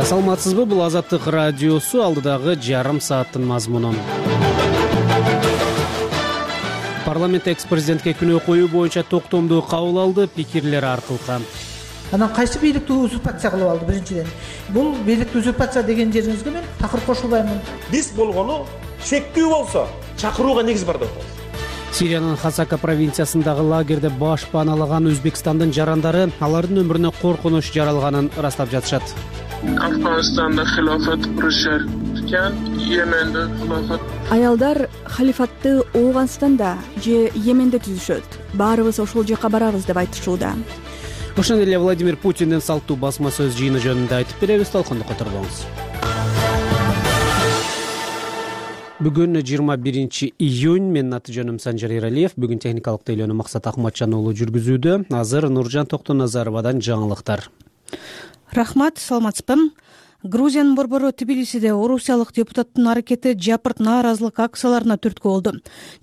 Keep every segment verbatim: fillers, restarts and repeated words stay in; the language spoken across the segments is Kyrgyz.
Саламатсызбы? Бул Азаттык радиосу, алдыдагы жарым сааттын мазмуну. Парламент экс-президентке күнөө коюу боюнча токтомду кабыл алды, пикирлер аркылкан. Анан кайсы бийликти узурпация кылып алды? Биринчиден, бул бийликти узурпация деген жериңизге мен такыр кошулбаймын. Биз болгону шектүү болсо чакырууга негиз бар деп атабыз. Сириянын Хасака провинциясындагы лагерде баш пааналаган Өзбекстандын жарандары алардын өмүрүнө коркунуч жаралганын ырастап жатышат. Afg'onistonda xilofat qurishar ekan, Yemenda xilofat. Аялдар халифатты Ооганстанда же Йеменде түзүшөт. Баарыбыз ошол жака барабыз деп айтышууда. Ошондой эле Владимир Путиндин салттуу басма сөз жыйыны жөнүндө айтып беребиз, талкындыкка турбаңыз. Бүгүн жыйырма биринчи июнь, менин аты жөнүм Санжар Эралиев. Бүгүн техникалык тейлөөнү Максат Акматжан уулу жүргүзүүдө. Азыр Нуржан Токтоназаровадан жаңылыктар. Рахмат, саламатсызбы? Грузиянын борбору Тбилисиде орусиялык депутаттын аракети жапырт нааразылык акцияларына түрткү болду.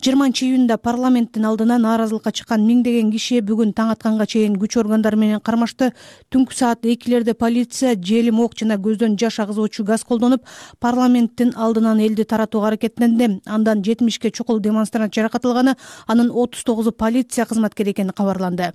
жыйырманчы июнда парламенттин алдына нааразылыкка чыккан миңдеген киши бүгүн таң атканга чейин күч органдары менен кармашты. Түнкү саат экилерде полиция желим ок жана көздөн жаш агызуучу газ колдонуп, парламенттин алдынан элди таратууга аракеттенди. Андан жетимишке чукул демонстрант жаракат алганы, анын отуз тогузу полиция кызматкери экени кабарланды.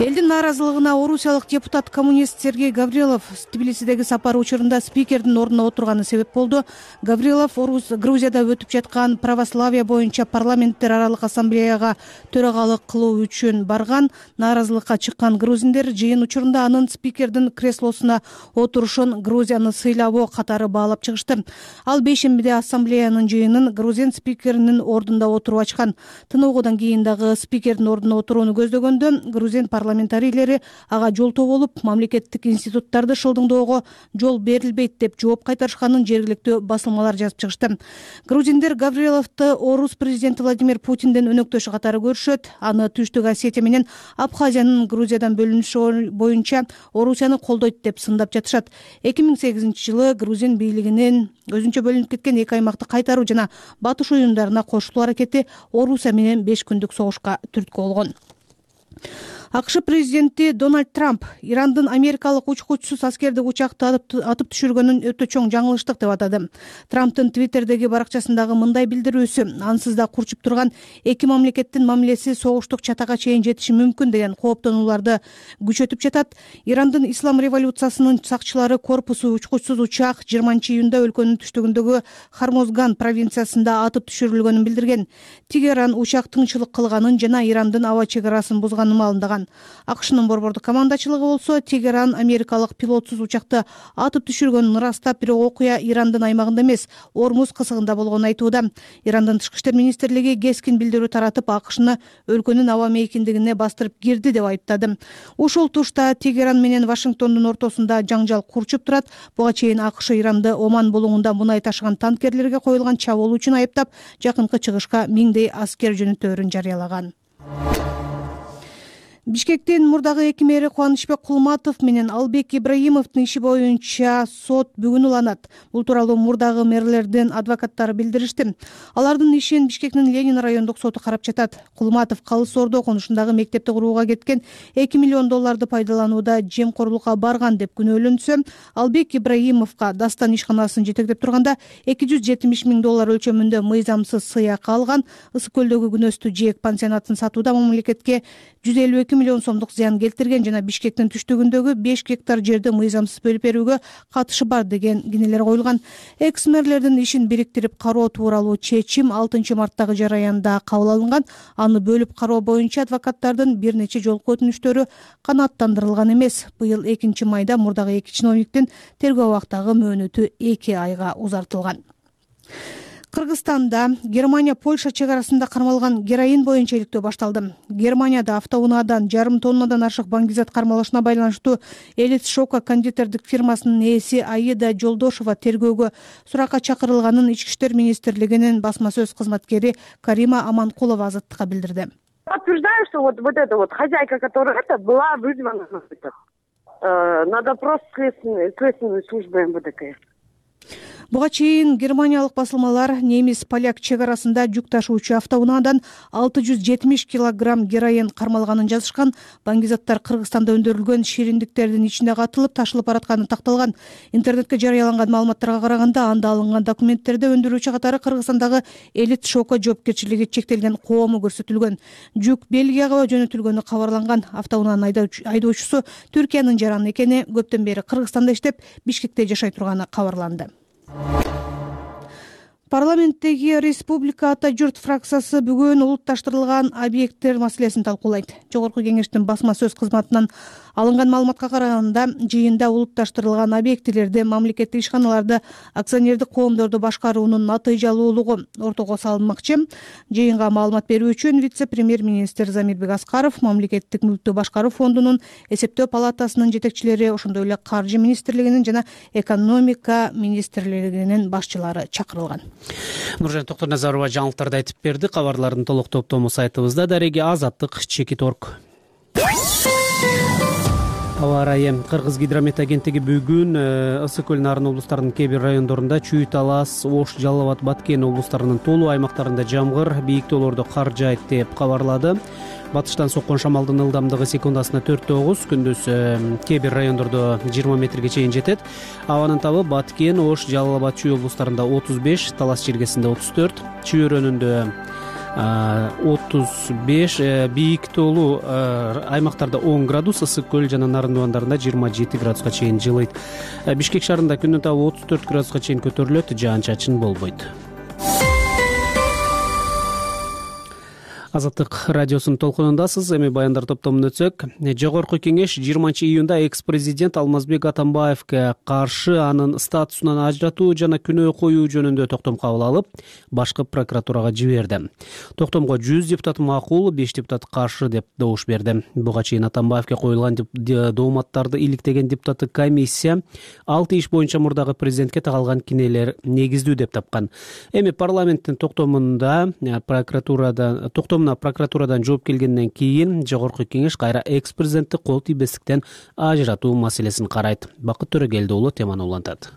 Элдин нааразылыгына орусиялык депутат коммунист Сергей Гаврилов Тбилисидеги сапары учурунда спикердин ордуна отурганы себеп болду. Гаврилов Грузияда өтүп жаткан православие боюнча парламенттер аралык ассамблеяга төрагалык кылуу үчүн барган. Нааразылыкка чыккан грузиндер жыйын учурунда анын спикердин креслосуна отурушун Грузияны сыйлабоо катары баалап чыгышты. Ал бейшембиде ассамблеянын жыйынын грузин спикеринин ордунда отуруп ачкан. Тыныгуудан кийин дагы спикердин ордуна отурууну көздөгөндө грузин парламентарийлери ага жолтоо болуп, мамлекеттик институттарды шылдыңдоого жол берилбейт деп жооп кайтарышканын жергиликтүү басылмалар жазып чыгышты. Грузиндер Гавриловду орус президенти Владимир Путиндин өнөктөшү катары көрүшөт. Аны Түштүк Осетия менен Абхазиянын Грузиядан бөлүнүшү боюнча Орусияны колдойт деп сындап жатышат. эки миң сегизинчи жылы грузин бийлигинин өзүнчө бөлүнүп кеткен эки аймакты кайтаруу жана батыш оюндарына кошулуу аракети Орусия менен беш күндүк согушка түрткү болгон. АКШ президенти Дональд Трамп Ирандын америкалык учкучусуз аскердик учакты атып түшүргөнүн өтө чоң жаңылыштык деп атады. Трамптын Твиттердеги баракчасындагы мындай билдирүүсү ансыз да курчуп турган эки мамлекеттин мамилеси согуштук чатага чейин жетиши мүмкүн деген кооптонууларды күчөтүп жатат. Ирандын ислам революциясынын сакчылары корпусу учкучсуз учак жыйырманчы июнда өлкөнүн түштүгүндөгү Хармозган провинциясында атып түшүрүлгөнүн билдирген. Тегеран учак тыңчылык кылганын жана Ирандын аба чек арасын бузганын маалымдаган. АКШнын борбордук командачылыгы болсо Тегеран америкалык пилотсуз учакты атып түшүргөнүн ырастап, бирок окуя Ирандын аймагында эмес, Ормуз кысыгында болгонун айтууда. Ирандын тышкы иштер министрлиги кескин билдирүү таратып, АКШны өлкөнүн аба мейкиндигине бастырып кирди деп айыптады. Ошол тушта Тегеран менен Вашингтондун ортосунда жаңжал курчуп турат. Буга чейин АКШ Иранды Оман булуңунда мунай ташыган танкерлерге коюлган чабуул үчүн айыптап, жакынкы чыгышка миңдей аскер жөнөтөөрүн жарыялаган. Бишкектин мурдагы эки мэри Кубанычбек Кулматов менен Албек Ибраимовдун иши боюнча сот бүгүн уланат. Бул тууралуу мурдагы мэрлердин адвокаттары билдиришти. Алардын ишин Бишкектин Ленин райондук соту карап жатат. Кулматов Калыс Ордо конушундагы мектепти курууга кеткен эки миллион долларды пайдаланууда жемкорлукка барган деп күнөөлөнсө, Албек Ибраимовго Дастан ишканасын жетектеп турганда эки жүз жетимиш миң доллар өлчөмүндө мыйзамсыз сыйак алган. Ысык көлдөгү күнөстүү жээк пансионатын сатууда мамлекетке жүз элүү эки миллион сомдук зыян келтирген жана Бишкектин түштүгүндөгү беш гектар жерди мыйзамсыз бөлүп берүүгө катышы бар деген кинелер коюлган. Экс-мэрлердин ишин бириктирип кароо тууралуу чечим алтынчы марттагы жараянда кабыл алынган. Аны бөлүп кароо боюнча адвокаттардын бир нече жолку өтүнүштөрү канааттандырылган эмес. Быйыл экинчи майда мурдагы эки чиновниктин тергөө убактагы мөөнөтү эки айга узартылган. Кыргызстанда Германия Польша чек арасында кармалган героин боюнча иликтөө башталды. Германияда автоунаадан жарым тоннадан ашык баңгизат кармалышына байланыштуу Элис Шока кондитердик фирмасынын ээси Аида Жолдошова тергөөгө суракка чакырылганын Ички иштер министрлигинин басма сөз кызматкери Карима Аманкулова Азаттыкка билдирди. Подтверждаю, что вот вот эта вот хозяйка, которая это была вызвана на допрос следственной службы МВД КС. Буга чейин германиялык басылмалар немис поляк чек арасында жүк ташуучу автоунаадан алты жүз жетимиш килограмм героин кармалганын жазышкан. Баңгизаттар Кыргызстанда өндүрүлгөн шириндиктердин ичинде катылып ташылып баратканы такталган. Интернетке жарыяланган маалыматтарга караганда, анда алынган документтерде өндүрүүчү катары Кыргызстандагы Элит Шоко жоопкерчилиги чектелген коому көрсөтүлгөн. Жүк Бельгияга жөнөтүлгөнү кабарланган. Автоунаанын айдоочусу Түркиянын жараны экени, көптөн бери Кыргызстанда иштеп, Бишкекте жашай турганы кабарланды. Парламенттеги Республика Ата журт фракциясы бүгүн улутташтырылган объекттер маселесин талкуулайт. Жогорку кеңештин басма сөз кызматынан алынган маалыматка караганда, жыйында улутташтырылган объектилерди, мамлекеттик ишканаларды, акционердик коомдорду башкаруунун натыйжалуулугу ортого салынмакчы. Жыйынга маалымат берүү үчүн вице-премьер-министр Замирбек Аскаров, мамлекеттик мүлктү башкаруу фондунун, эсептөө палатасынын жетекчилери, ошондой эле каржы министрлигинин жана экономика министрлигинин башчылары чакырылган. Нуржан Токторназарова жаңылыктарды айтып берди. Кабарлардын толук топтому сайтыбызда. Дареги Азаттык чекит точка орг. Аба ырайы. Кыргыз гидромет агенттиги бүгүн Ысык көл Нарын облустарынын кээ бир райондорунда Чүй, Талас, Ош, Жалал Абад, Баткен облустарынын толуу аймактарында жамгыр, бийик тоолордо кар жаайт деп кабарлады. Батыштан соккон шамалдын ылдамдыгы секундасына төрт тогуз, күндүз кээ бир райондордо жыйырма метрге чейин жетет. Абанын табы Баткен, Ош, Жалал Абад, Чүй облустарында отуз беш, Талас жергесинде отуз төрт, Чүй өрөөнүндө отуз беш, бийик тоолуу аймактарда он градус, Ысык көл жана Нарын дубандарында жыйырма жети градуска чейин жылыйт. Бишкек шаарында күндүн табы отуз төрт градуска чейин көтөрүлөт, жаан-чачын болбойт. Азаттык радиосунун толкунундасыз. Эми баяндар топтомун өтсөк, жогорку кеңеш жыйырманчы июнда экс-президент Алмазбек Атамбаевге каршы анын статусунан ажыратуу жана күнөө коюу жөнүндө токтом кабыл алып, башкы прокуратурага жиберди. Токтомго жүз депутат макул, беш депутат каршы деп добуш берди. Буга чейин Атамбаевге коюлган дооматтарды иликтеген депутаттык комиссия алты иш боюнча мурдагы президентке тагылган кинелер негиздүү деп тапкан. Эми парламенттин токтомунда прокуратурадан токтом прокуратурадан жооп келгенден кийин жогорку кеңеш кайра экс-президентти кол тийбестиктен ажыратуу маселесин карайт. Бакыт Төрөгелди уулу теманы улантат.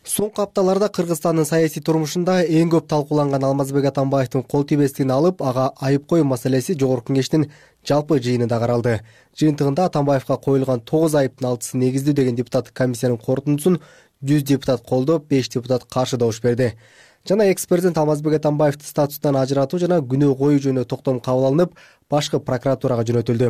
Соңку апталарда Кыргызстандын саясий турмушунда эң көп талкууланган Алмазбек Атамбаевдин кол тийбестигин алып, ага айып коюу маселеси жогорку кеңештин жалпы жыйынында каралды. Жыйынтыгында Атамбаевга коюлган тогуз айыптын алтысы негиздүү деген депутаттык комиссиянын корутундусун жүз депутат колдоп, беш депутат каршы добуш берди. Жана экс-президент Алмазбек Атамбаевди статусунан ажыратуу жана күнөө коюу жөнүндө токтом кабыл алынып, башкы прокуратурага жөнөтүлдү.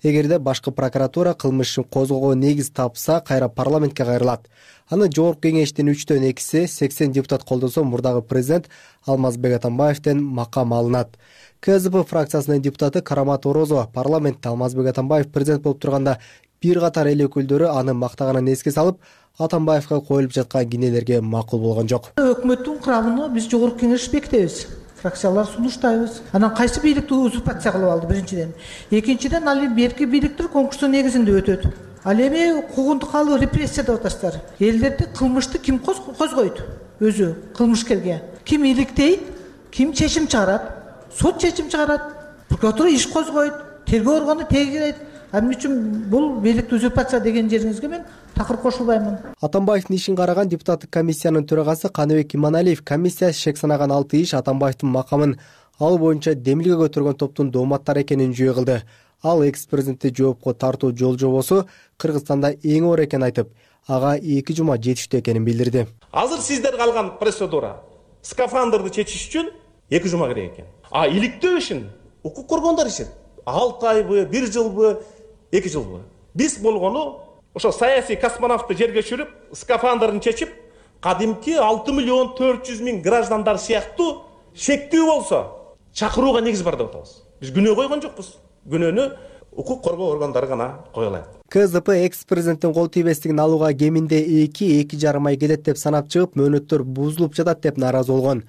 Эгерде башкы прокуратура кылмыш ишин козгоого негиз тапса, кайра парламентке кайрылат. Аны жогорку кеңештин үчтөн экиси сексен депутат колдосо, мурдагы президент Алмазбек Атамбаевден макам алынат. КЗП фракциясынын депутаты Карамат Орозова парламентте Алмазбек Атамбаев президент болуп турганда бир катар эл өкүлдөрү аны мактаганын эске салып, Атамбаевга коюлуп жаткан кинелерге макул болгон жок. Өкмөттүн курамын биз жогорку кеңеш бекитебиз. Фракциялар сунуштайбыз. Анан кайсы бийликти узурпация кылып алды биринчиден. Экинчиден ал берки бийликтер конкурстун негизинде өтөт. Ал эми куугунтук алуу репрессия деп атасыздар. Элдерди кылмышты ким козгойт? Өзү кылмышкерге. Ким иликтейт? Ким чечим чыгарат? Сот чечим чыгарат. Прокуратура иш козгойт. Тергөө органы тегерейт. Эмне үчүн бул бийликти узурпация деген жериңизге мен такыр кошулбаймын. Атамбаевдин ишин караган депутаттык комиссиянын төрагасы Каныбек Иманалиев комиссия шек санаган алты иш Атамбаевдин макамын ал боюнча демилге көтөргөн топтун дооматтары экенин жүйө кылды. Ал экс-президентти жоопко тартуу жол жобосу Кыргызстанда эң оор экенин айтып, ага эки жума жетиштүү экенин билдирди. Азыр сиздер калган процедура скафандрды чечиш үчүн эки жума керек экен. А иликтөө ишин укук коргондор ишет. алты айбы, бир жылбы, эки жылбы. Биз болгону ошо саясий космонавтты жерге түшүрүп, скафандрын чечип, кадимки алты миллион төрт жүз миң граждандар сыяктуу шектүү болсо чакырууга негиз бар деп атабыз. Биз күнөө койгон жокпуз. Күнөөнү укук коргоо органдары гана кое алат. КЗП экс-президенттин кол тийбестигин алууга кеминде эки эки жарым ай келет деп санап чыгып, мөөнөттөр бузулуп жатат деп нааразы болгон.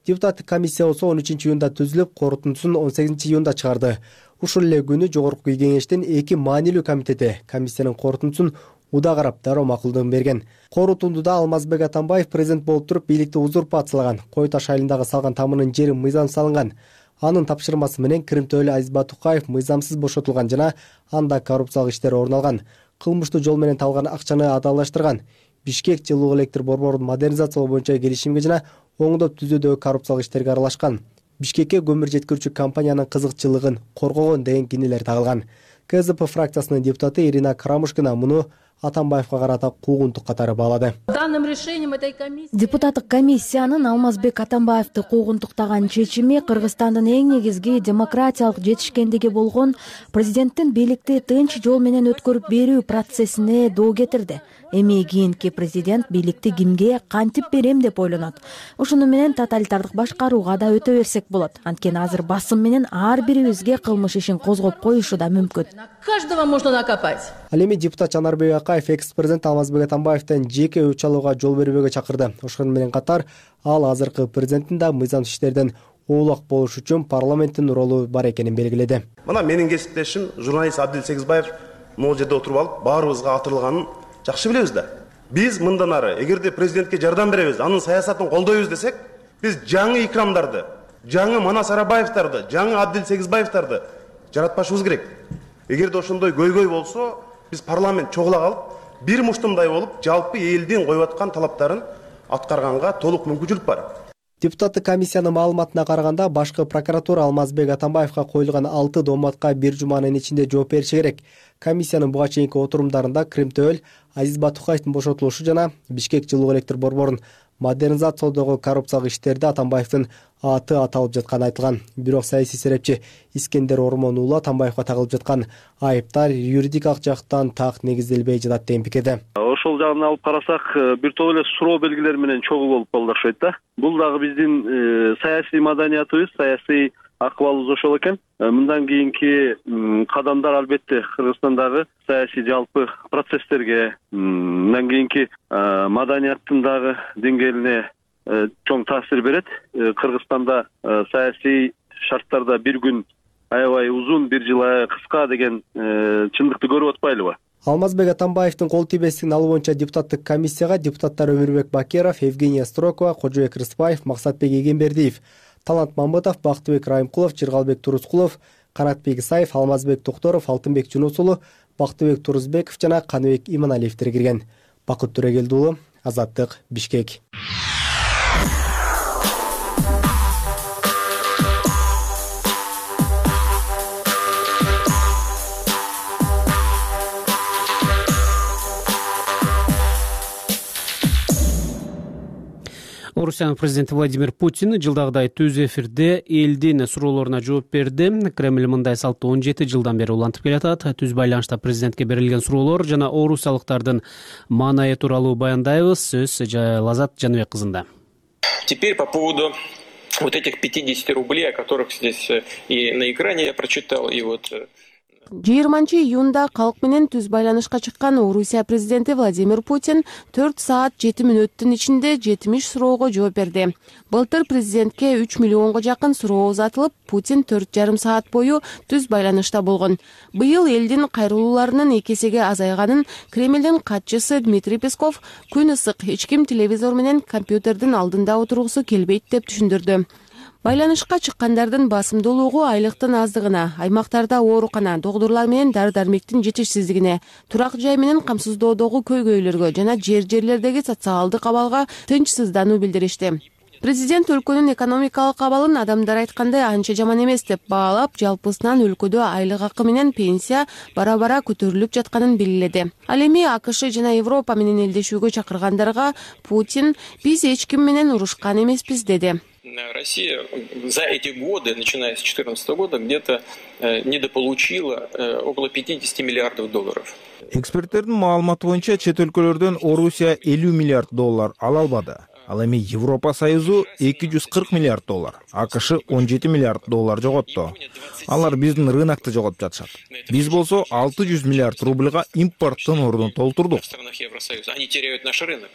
Депутаттык комиссия болсо он үчүнчү июнда түзүлүп, корутундусун он сегизинчи июнда чыгарды. Ушул эле күнү жогорку кеңештин эки маанилүү комитети комиссиянын корутундусун уда карап дароо макулдугун берген. Корутундуда Алмазбек Атамбаев президент болуп туруп бийликти узурпациялаган, Кой Таш айылындагы салган тамынын жери мыйзам салынган. Анын тапшырмасы менен Кырымтөөлү Азиз Батукаев мыйзамсыз бошотулган жана анда коррупциялык иштер орун алган. Кылмыштуу жол менен табылган акчаны адалдаштырган. Бишкек жылуу электр борборун модернизациялоо боюнча келишимге жана оңдоп түзүүдөгү коррупциялык иштерге аралашкан. Бишкекке көмүр жеткирүүчү компаниянын кызыкчылыгын коргогон деген кинелер тагылган. ка зэ пэ фракциясынын депутаты Ирина Карамушкина муну Атамбаевка карата куугунтук катары баалады. Депутаттык комиссиянын Алмазбек Атамбаевди куугунтуктаган чечими Кыргызстандын эң негизги демократиялык жетишкендиги болгон президенттин бийликти тынч жол менен өткөрүп берүү процессине доо кетирди. Эми кийинки президент бийликти кимге кантип берем деп ойлонот. Ушуну менен тоталитардык башкарууга да өтө берсек болот. Анткени азыр басым менен ар бирибизге кылмыш ишин козгоп коюшу да мүмкүн. Каждого можно накопать. Ал эми депутат Жанарбек Акаев экс-президент Алмазбек Атамбаевден жеке өч алууга жол бербөөгө чакырды. Ошону менен катар ал азыркы президенттин да мыйзам иштерден оолак болуш үчүн парламенттин ролу бар экенин белгиледи. Мына менин кесиптешим журналист Абдил Сегизбаев могул жерде отуруп алып баарыбызга атырылганын жакшы билебиз да. Биз мындан ары эгерде президентке жардам беребиз, анын саясатын колдойбуз десек, биз жаңы икрамдарды, жаңы Манас Арабаевдарды, жаңы Абдил Сегизбаевдарды жаратпашыбыз керек. Эгерде ошондой көйгөй болсо, биз парламент чогула калып, бир муштумдай болуп, жалпы элдин коюп аткан талаптарын аткарганга толук мүмкүнчүлүк бар. Депутаттык комиссиянын маалыматына караганда, башкы прокуратура Алмазбек Атамбаевка коюлган алты дооматка бир жуманын ичинде жооп бериши керек. Комиссиянын буга чейинки отурумдарында Кримтөөл, Азиз Батукаевдин бошотулушу жана Бишкек жылуу электр борборун модернизациялоодогу коррупциялык иштерде Атамбаевдин аты аталып жатканы айтылган. Бирок саясий серепчи Искендер Ормон уулу Атамбаевга тагылып жаткан айыптар юридикалык жактан так негизделбей жатат деген пикирде. Ошол жагын алып карасак, бир топ эле суроо белгилери менен чогуу болуп калды окшойт да. Бул дагы биздин саясий маданиятыбыз, саясий акыбалыбыз ошол экен. Мындан кийинки кадамдар албетте Кыргызстандагы саясий жалпы процесстерге, мындан кийинки маданияттын дагы деңгээлине чоң таасир берет. Кыргызстанда саясий шарттарда бир күн аябай узун, бир жыл аябай кыска деген чындыкты көрүп атпайлыбы? Алмазбек Атамбаевдин кол тийбестигин алуу боюнча депутаттык комиссияга депутаттар Өмүрбек Бакеров, Евгения Строкова, Кожобек Рыспаев, Максатбек Эгембердиев, Талант Мамбетов, Бактыбек Райымкулов, Жыргалбек Турускулов, Канатбек Исаев, Алмазбек Токторов, Алтынбек Жунус уулу, Бактыбек Турузбеков жана Каныбек Иманалиевдер кирген. Бакыт Төрөгелди уулу, Азаттык, Бишкек. Орусиянын президенти Владимир Путин жылдагыдай түз эфирде элдин суроолоруна жооп берди. Кремль мындай салтты он жети жылдан бери улантып келатат. Түз байланышта президентке берилген суроолор жана орусиялыктардын маанайы тууралуу баяндайбыз. Сөз Лазат Жаныбек кызында. Теперь по поводу вот этих пятидесяти рублей, о которых здесь и на экране я прочитал, и вот... жыйырманчы июнда калк менен түз байланышка чыккан Орусия президенти Владимир Путин төрт саат жети мүнөттүн ичинде жетимиш суроого жооп берди. Былтыр президентке үч миллионго жакын суроо узатылып, Путин төрт жарым саат бою түз байланышта болгон. Быйыл элдин кайрылууларынын эки эсеге азайганын Кремлдин катчысы Дмитрий Песков күн ысык, эч ким телевизор менен компьютердин алдында отургусу келбейт деп түшүндүрдү. Байланышка чыккандардын басымдуулугу айлыктын аздыгына, аймактарда оорукана, доктурлар менен дары-дармектин жетишсиздигине, турак жай менен камсыздоодогу көйгөйлөргө жана жер-жерлердеги социалдык абалга тынчсыздануу билдиришти. Президент өлкөнүн экономикалык абалын адамдар айткандай анча жаман эмес деп баалап, жалпысынан өлкөдө айлык акы менен пенсия бара-бара көтөрүлүп жатканын белгиледи. Ал эми АКШ жана Европа менен элдешүүгө чакыргандарга Путин биз эч ким менен урушкан эмеспиз деди. Россия за эти годы, начиная с две тысячи четырнадцатого года, где-то недополучила около пятидесяти миллиардов долларов. Эксперттердин маалыматы боюнча чет өлкөлөрдөн Орусия элүү миллиард доллар ала албады. Ал эми Европа Союзу эки жүз кырк миллиард доллар, АКШ он жети миллиард доллар жоготту. Алар биздин рынокты жоготуп жатышат. Биз болсо алты жүз миллиард рубльга импорттун ордун толтурдук. В странах Евросоюза они теряют наш рынок.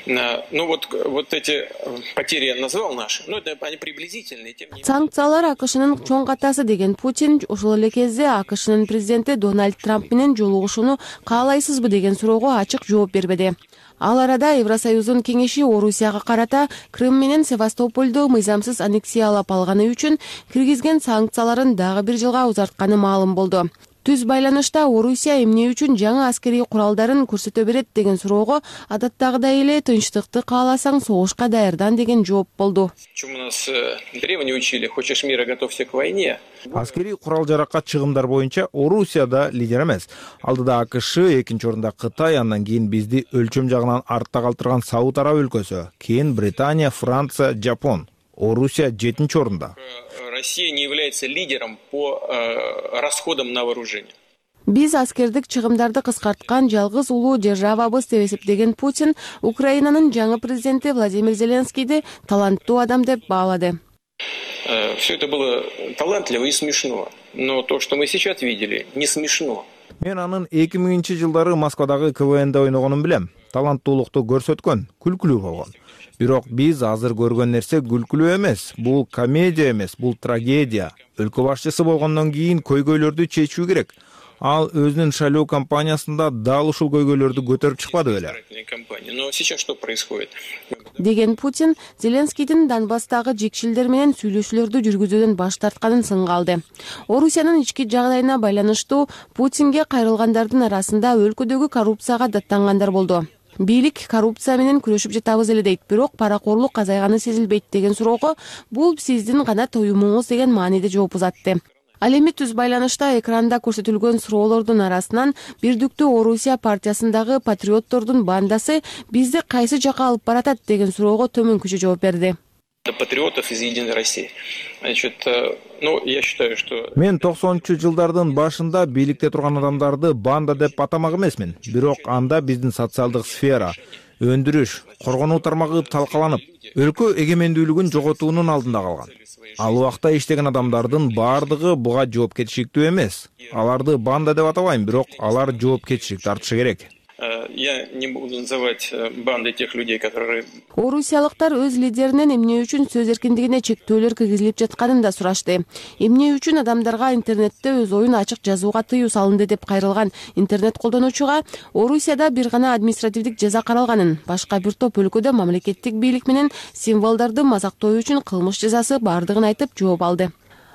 Ну вот, вот эти потери я назвал наши, но это они приблизительные. Санкциялар АКШнын чоң катасы деген Путин ошол эле кезде АКШнын президенти Дональд Трамп менен жолугушууну каалайсызбы деген суроого ачык жооп бербеди. Ал арада Евросоюздун кеңеши Орусияга карата Крым менен Севастопольду мыйзамсыз аннексиялап алганы үчүн киргизген санкцияларын дагы бир жылга узартканы маалым болду. Түз байланышта Орусия эмне үчүн жаңы аскерий куралдарын көрсөтө берет деген суроого адаттагыдай эле тынчтыкты кааласаң согушка даярдан деген жооп болду. Чему нас древние учили: хочешь мира, готовься к войне. Аскерий курал-жаракка чыгымдар боюнча Орусияда лидер эмес. Алдыда АКШ, экинчи орунда Кытай, андан кийин бизди өлчөм жагынан артта калтырган Сауд Араб өлкөсү, кийин Британия, Франция, Жапон. Орусия жетинчи орунда. Россия не является лидером по э, расходам на вооружение. Биз аскердик чыгымдарды кыскарткан жалгыз улуу державабыз деп эсептеген Путин Украинанын жаңы президенти Владимир Зеленскийди таланттуу адам деп баалады. Э, все это было талантливо и смешно, но то, что мы сейчас видели, не смешно. Мен анын эки миңинчи жылдары Москвадагы КВНде ойногонун билем. Таланттуулукту көрсөткөн, күлкүлүү болгон. Бирок биз азыр көргөн нерсе күлкүлүү эмес, бул комедия эмес, бул трагедия. Өлкө башчысы болгондон кийин көйгөйлөрдү чечүү керек. Ал өзүнүн шайлоо кампаниясында дал ушул көйгөйлөрдү көтөрүп чыкпады беле. Но сейчас что происходит? Деген Путин Зеленскийдин Донбасстагы жекшилдер менен сүйлөшүүлөрдү жүргүзүүдөн баш тартканын сынга алды. Орусиянын ички жагдайына байланыштуу Путинге кайрылгандардын арасында өлкөдөгү коррупцияга даттангандар болду. Бийлик коррупция менен күрөшүп жатабыз эле дейт, бирок паракорлук азайганы сезилбейт деген суроого бул сиздин гана тоюмуңуз деген мааниде жооп узатты. Ал эми түз байланышта экранда көрсөтүлгөн суроолордун арасынан бирдиктүү Орусия партиясындагы патриоттордун бандасы бизди кайсы жака алып баратат деген суроого төмөнкүчө жооп берди. Патриотов из Единой России. Значит, ну, я считаю, что... Мен токсонунчу жылдардын башында бийликте турган адамдарды банда деп атамак эмесмин. Бирок анда биздин социалдык сфера, өндүрүш, коргонуу тармагы талкаланып, өлкө эгемендүүлүгүн жоготуунун алдында калган. Ал убакта иштеген адамдардын баардыгы буга жоопкерчиликтүү эмес. Аларды банда деп атабайм, бирок алар жоопкерчилик тартышы керек. Я не буду называть бандой тех людей, которые... Орусиялыктар өз лидеринен эмне үчүн сөз эркиндигине чектөөлөр киргизилип жатканын да сурашты. Эмне үчүн адамдарга интернетте өз оюн ачык жазууга тыюу салынды деп кайрылган интернет колдонуучуга Орусияда бир гана административдик жаза каралганын, башка бир топ өлкөдө мамлекеттик бийлик менен символдорду мазактоо үчүн кылмыш жазасы бардыгын айтып жооп алды.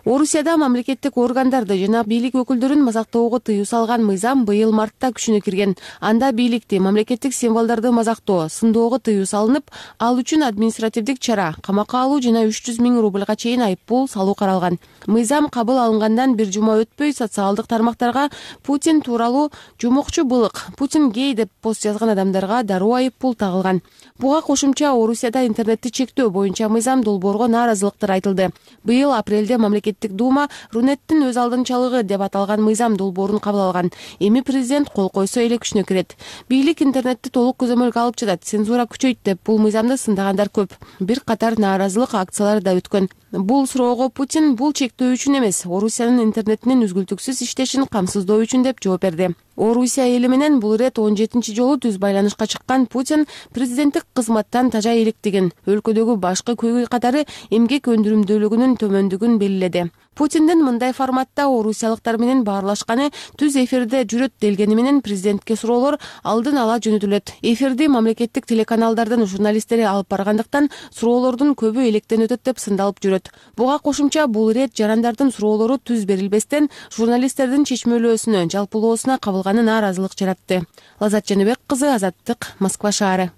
Орусияда мамлекеттик органдарды жана бийлик өкүлдөрүн мазактоого тыюу салган мыйзам быйыл мартта күчүнө кирген. Анда бийликти, мамлекеттик символдорду мазактоо, сындоого тыюу салынып, ал үчүн административдик чара, камакка алуу жана үч жүз миң рубльга чейин айыппул салуу каралган. Мыйзам кабыл алынгандан бир жума өтпөй социалдык тармактарга Путин тууралуу жумокчу былык, Путин гей деп пост жазган адамдарга дароо айыппул тагылган. Буга кошумча Орусияда интернетти чектөө боюнча мыйзам долбоорго нааразылыктар айтылды. Быйыл апрелде мамлекеттик Дума Рунеттин өз алдынчалыгы деп аталган мыйзам долбоорун кабыл алган. Эми президент кол койсо эле күчүнө кирет. Бийлик интернетти толук көзөмөлгө алып жатат, цензура күчөйт деп бул мыйзамды сындагандар көп. Бир катар нааразылык акциялары да өткөн. Бул суроого Путин бул чектөө үчүн эмес, Орусиянын интернетинин үзгүлтүксүз иштешин камсыздоо үчүн деп жооп берди. Орусия эли менен бул ирет он жетинчи жолу түз байланышка чыккан Путин президенттик кызматтан тажа иликтигин, өлкөдөгү башкы көйгөй катары эмгек өндүрүмдүүлүгүнүн төмөндүгүн белгиледи. Путиндин мындай форматта орусиялыктар менен баарлашканы түз эфирде жүрөт делгени менен президентке суроолор алдын ала жөнөтүлөт. Эфирди мамлекеттик телеканалдардын журналисттери алып баргандыктан суроолордун көбү электен өтөт деп сындалып жүрөт. Буга кошумча бул ирет жарандардын суроолору түз берилбестен журналисттердин чечмелөөсүнө, жалпылоосуна кабылганы нааразылык жаратты. Лазат Жаныбек кызы, Азаттык, Москва шаары.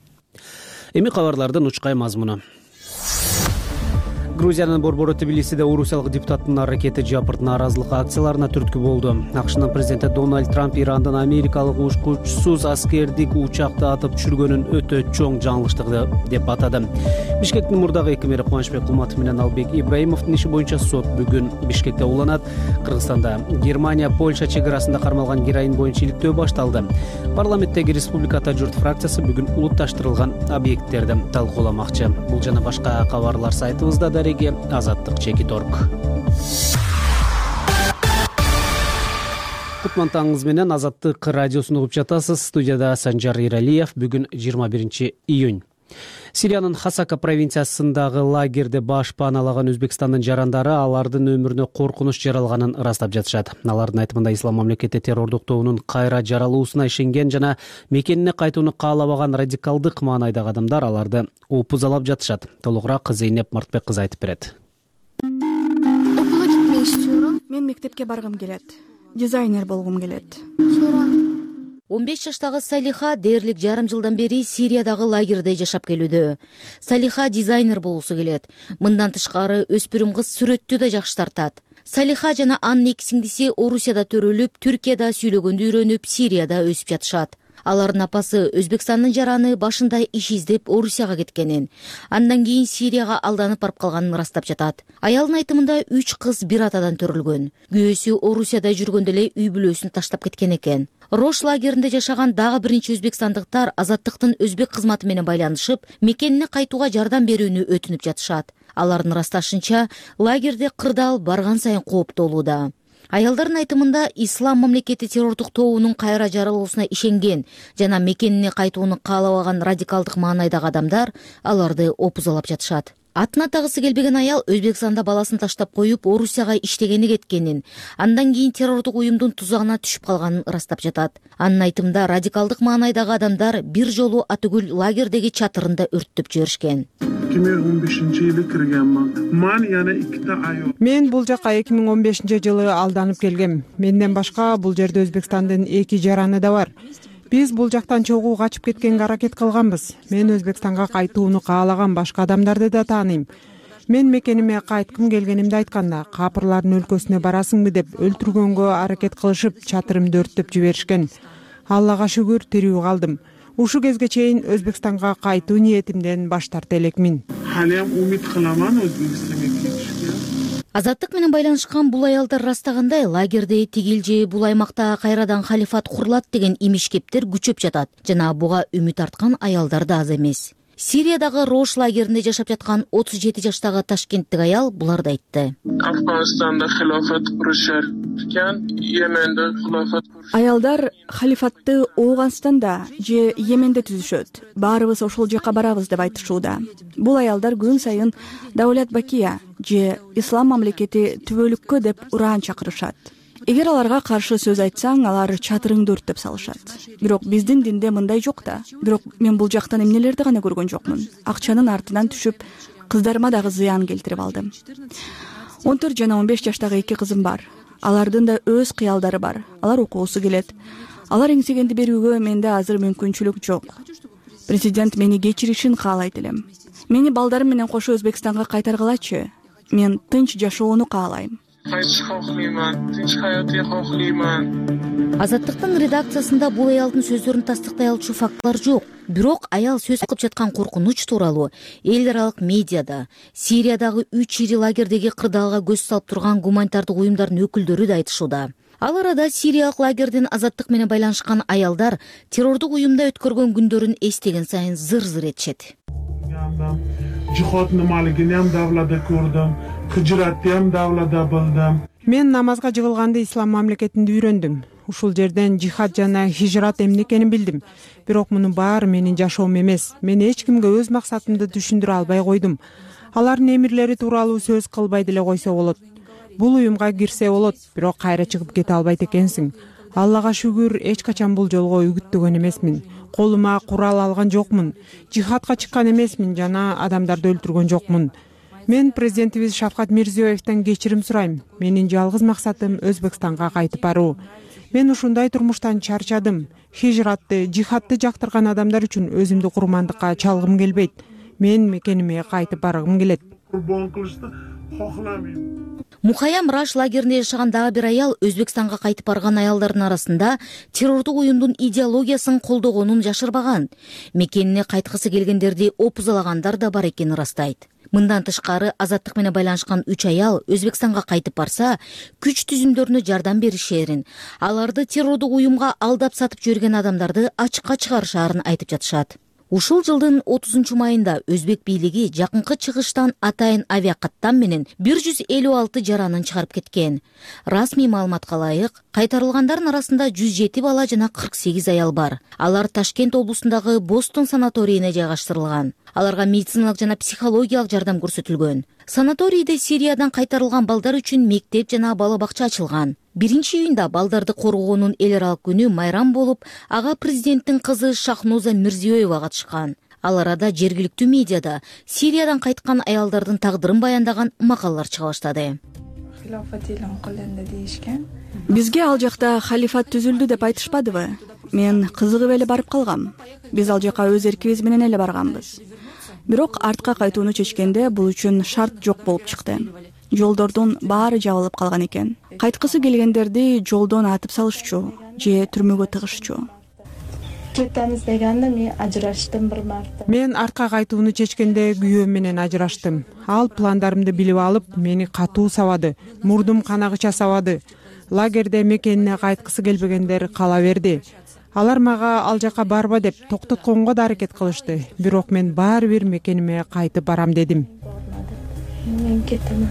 Эми кабарлардын учкай мазмуну. Грузиянын борбору Тбилисиде орусиялык депутаттын аракети жапырт нааразылык акцияларына түрткү болду. АКШнын президенти Дональд Трамп Ирандын америкалык учкучсуз аскердик учакты атып түшүргөнүн өтө чоң жаңылыштык деп атады. Бишкектин мурдагы эки мэри Кубанычбек Кулматов менен Албек Ибраимовдун иши боюнча сот бүгүн Бишкекте уланат. Кыргызстанда Германия Польша чек арасында кармалган героин боюнча иликтөө башталды. Парламенттеги Республиката журт фракциясы бүгүн улутташтырылган объекттерди талкууламакчы. Бул жана башка кабарлар сайтыбызда дареги азаттык чекит точка орг. Кутман таңыңыз менен Азаттык радиосун угуп жатасыз. Студияда Санжар Иралиев. Бүгүн жыйырма биринчи июнь. Сириянын Хасака провинциясындагы лагерде баш пааналаган Өзбекстандын жарандары алардын өмүрүнө коркунуч жаралганын ырастап жатышат. Алардын айтымында Ислам мамлекети террордук тобунун кайра жаралуусуна ишенген жана мекенине кайтууну каалабаган радикалдык маанайдагы адамдар аларды опузалап жатышат. Толугураак Зейнеп Мартбек кызы айтып берет. Окууга кетпей иштөөрөм. Мен мектепке баргым келет. дизайнер болгум келет. он беш жаштагы Салиха дээрлик жарым жылдан бери Сириядагы лагерде жашап келүүдө. Салиха дизайнер болуусу келет. Мындан тышкары өспүрүм кыз сүрөттү да жакшы тартат. Салиха жана анын эки сиңдиси Орусияда төрөлүп, Түркияда сүйлөгөндү үйрөнүп, Сирияда өсүп жатышат. Алардын апасы Өзбекстандын жараны башында иш издеп Орусияга кеткенин, андан кийин Сирияга алданып барып калганын ырастап жатат. Аялдын айтымында үч кыз бир атадан төрөлгөн. Күйөөсү Орусияда жүргөндө эле үй бүлөсүн таштап кеткен экен. Рош лагеринде жашаган дагы бир нече өзбекстандыктар Азаттыктын өзбек кызматы менен байланышып, мекенине кайтууга жардам берүүнү өтүнүп жатышат. Алардын ырасташынча, лагерде кырдаал барган сайын кооптолууда. Аялдардын айтымында Ислам мамлекети террордук тобунун кайра жаралуусуна ишенген жана мекенине кайтууну каалабаган радикалдык маанайдагы адамдар аларды опузалап жатышат. Атына тагысы келбеген аял Өзбекстанда баласын таштап коюп, Орусияга иштегени кеткенин, андан кийин террордук уюмдун тузагына түшүп калганын ырастап жатат. Анын айтымында радикалдык маанайдагы адамдар бир жолу атүгүл лагердеги чатырында өрттөп жиберишкен. эки миң он бешинчи жылы киргенмин. Мен яна эки ай. Мен бул жака эки миң он бешинчи жылы алданып келгем. Менден башка бул жерде Өзбекстандын эки жараны да бар. Биз бул жактан чогуу качып кеткенге аракет кылганбыз. Мен Өзбекстанга кайтууну каалаган башка адамдарды да тааныйм. Мен мекениме кайткым келгенимди айтканда, капырлардын өлкөсүнө барасыңбы деп өлтүргөнгө аракет кылышып, чатырымды өрттөп жиберишкен. Аллага шүгүр тирүү калдым. Ушу кезге чейин Өзбекстанга кайтуу ниетимден баш тарта элекмин. Халем умид кыламан Өзбекстанга кетишке. Азаттык менен байланышкан бул аялдар ырастагандай, лагерде тигил же бул аймакта кайрадан халифат курулат деген имиш кептер күчөп жатат жана буга үмүт арткан аялдар да аз эмес. Сириядагы Рош лагеринде жашап жаткан отуз жети жаштагы ташкенттик аял буларды айтты. Афганистанда хилафат курушар экен, Йеменде хилафат. Аялдар халифатты Ооганстанда же Йеменде түзүшөт. Баарыбыз ошол жака барабыз деп айтышууда. Бул аялдар күн сайын Даулет Бакия же Ислам мамлекети түбөлүккө деп ураан чакырышат. Эгер аларга каршы сөз айтсаң, алар чатырыңды өрттөп салышат. Бирок биздин динде мындай жок да. Бирок мен бул жактан эмнелерди гана көргөн жокмун. Акчанын артынан түшүп, кыздарыма дагы зыян келтирип алдым. он төрт жана он беш жаштагы эки кызым бар. Алардын да өз кыялдары бар. Алар окуусу келет. Алар эңсегенди берүүгө менде азыр мүмкүнчүлүк жок. Президент мени кечиришин каалайт элем. Мени балдарым менен кошо Өзбекстанга кайтаргылачы. Мен тынч жашоону каалайм. Азаттыктын редакциясында бул аялдын сөздөрүн тастыктай алчу фактылар жок. Бирок аял сөз кылып жаткан коркунуч тууралуу эл аралык медиада, Сириядагы үч ири лагердеги кырдаалга көз салып турган гуманитардык уюмдардын өкүлдөрү да айтышууда. Ал арада сириялык лагердин азаттык менен байланышкан аялдар террордук уюмда өткөргөн күндөрүн эстеген сайын зыр-зыр этишет. Жиход нималигинем давлада көрдүм, хижраттем давлада билдим. Мен намазга жыгылганды Ислам мамлекетинде үйрөндүм. Ушул жерден жихад жана хижрат эмне экенин билдим. Бирок мунун баары менин жашоом эмес. Мен эч кимге өз максатымды түшүндүрө албай койдум. Алардын эмирлери тууралуу сөз кылбай деле койсо болот. Бул уюмга кирсе болот, бирок кайра чыгып кете албайт экенсиң. Аллага шүгүр, эч качан бул жолго үгүттөгөн эмесмин. Колума курал алган жокмун. Жихадка чыккан эмесмин жана адамдарды өлтүргөн жокмун. Мен президентибиз Шавкат Мирзиёевден кечирим сурайм. Менин жалгыз максатым Өзбекстанга кайтып баруу. Мен ушундай турмуштан чарчадым. Хижратты, жихадты жактырган адамдар үчүн өзүмдү курмандыкка чалгым келбейт. Мен мекениме кайтып баргым келет. Мухаям Раш лагеринде жашаган дагы бир аял Өзбекстанга кайтып барган аялдардын арасында террордук уюмдун идеологиясын колдогонун жашырбаган. Мекенине кайткысы келгендерди опузалагандар да бар экенин ырастайт. Мындан тышкары азаттык менен байланышкан үч аял Өзбекстанга кайтып барса, күч түзүмдөрүнө жардам беришерин, аларды террордук уюмга алдап сатып жүргөн адамдарды ачыкка чыгарышаарын айтып жатышат. Ушул жылдын отузунчу майында Өзбек бийлиги жакынкы чыгыштан атайын авиакаттам менен бир жүз элүү алты жаранын чыгарып кеткен. Расмий маалыматка ылайык, кайтарылгандардын арасында жүз жети бала жана кырк сегиз аял бар. Алар Ташкент облусундагы Бостон санаторийине жайгаштырылган. Аларга медициналык жана психологиялык жардам көрсөтүлгөн. Санаторийде Сириядан кайтарылган балдар үчүн мектеп жана бала бакча ачылган. Биринчи июнда балдарды коргоонун эл аралык күнү майрам болуп, ага президенттин кызы Шахноза Мирзиёева катышкан. Ал арада жергиликтүү медиада Сириядан кайткан аялдардын тагдырын баяндаган макалалар чыга баштады. халифат элин кылынды дейишкен. Бизге ал жакта халифат түзүлдү деп айтышпадыбы? Мен кызыгып эле барып калгам. Биз ал жака өз эркибиз менен эле барганбыз. Бирок артка кайтууну чечкенде бул үчүн шарт жок болуп чыкты. Жолдордун баары жабылып калган экен. Кайткысы келгендерди жолдон атып салышчу же түрмөгө тыгышчу. Кетемиз дегенде мен ажыраштым бир марта. Мен артка кайтууну чечкенде күйөөм менен ажыраштым. Ал пландарымды билип алып, мени катуу сабады. Мурдум канагыча сабады. Лагерде мекенине кайткысы келбегендер кала берди. Алар мага ал жака барба деп токтотконго да аракет кылышты. Бирок мен баары бир мекениме кайтып барам дедим. Мен кетем.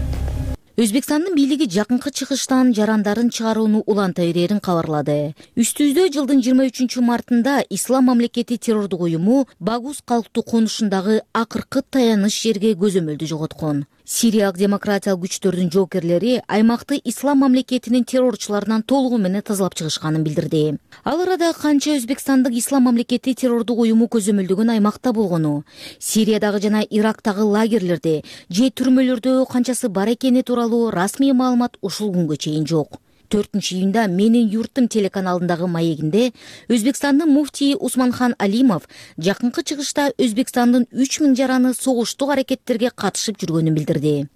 Өзбекстандын бийлиги жакынкы чыгыштан жарандарын чыгарууну уланта берерин кабарлады. Үстүбүздө жылдын жыйырма үчүнчү мартында Ислам мамлекети террордук уюму Багус калктуу конушундагы акыркы таяныч жерге көзөмөлдү жоготкон. Сириялык демократиялык күчтөрдүн жоокерлери аймакты Ислам мамлекетинин террорчуларынан толугу менен тазалап чыгышканын билдирди. Ал арада канча Өзбекстандык Ислам мамлекети террордук уюму көзөмөлдөгөн аймакта болгону, Сириядагы жана Ирактагы лагерлерде же түрмөлөрдө канчасы бар экени тууралуу расмий маалымат ушул күнгө чейин жок. төртүнчү июнда Менин юртум телеканалындагы маегинде Өзбекстандын муфтийи Усманхан Алимов жакынкы чыгышта Өзбекстандын үч миң жараны согуштук аракеттерге катышып жүргөнүн билдирди.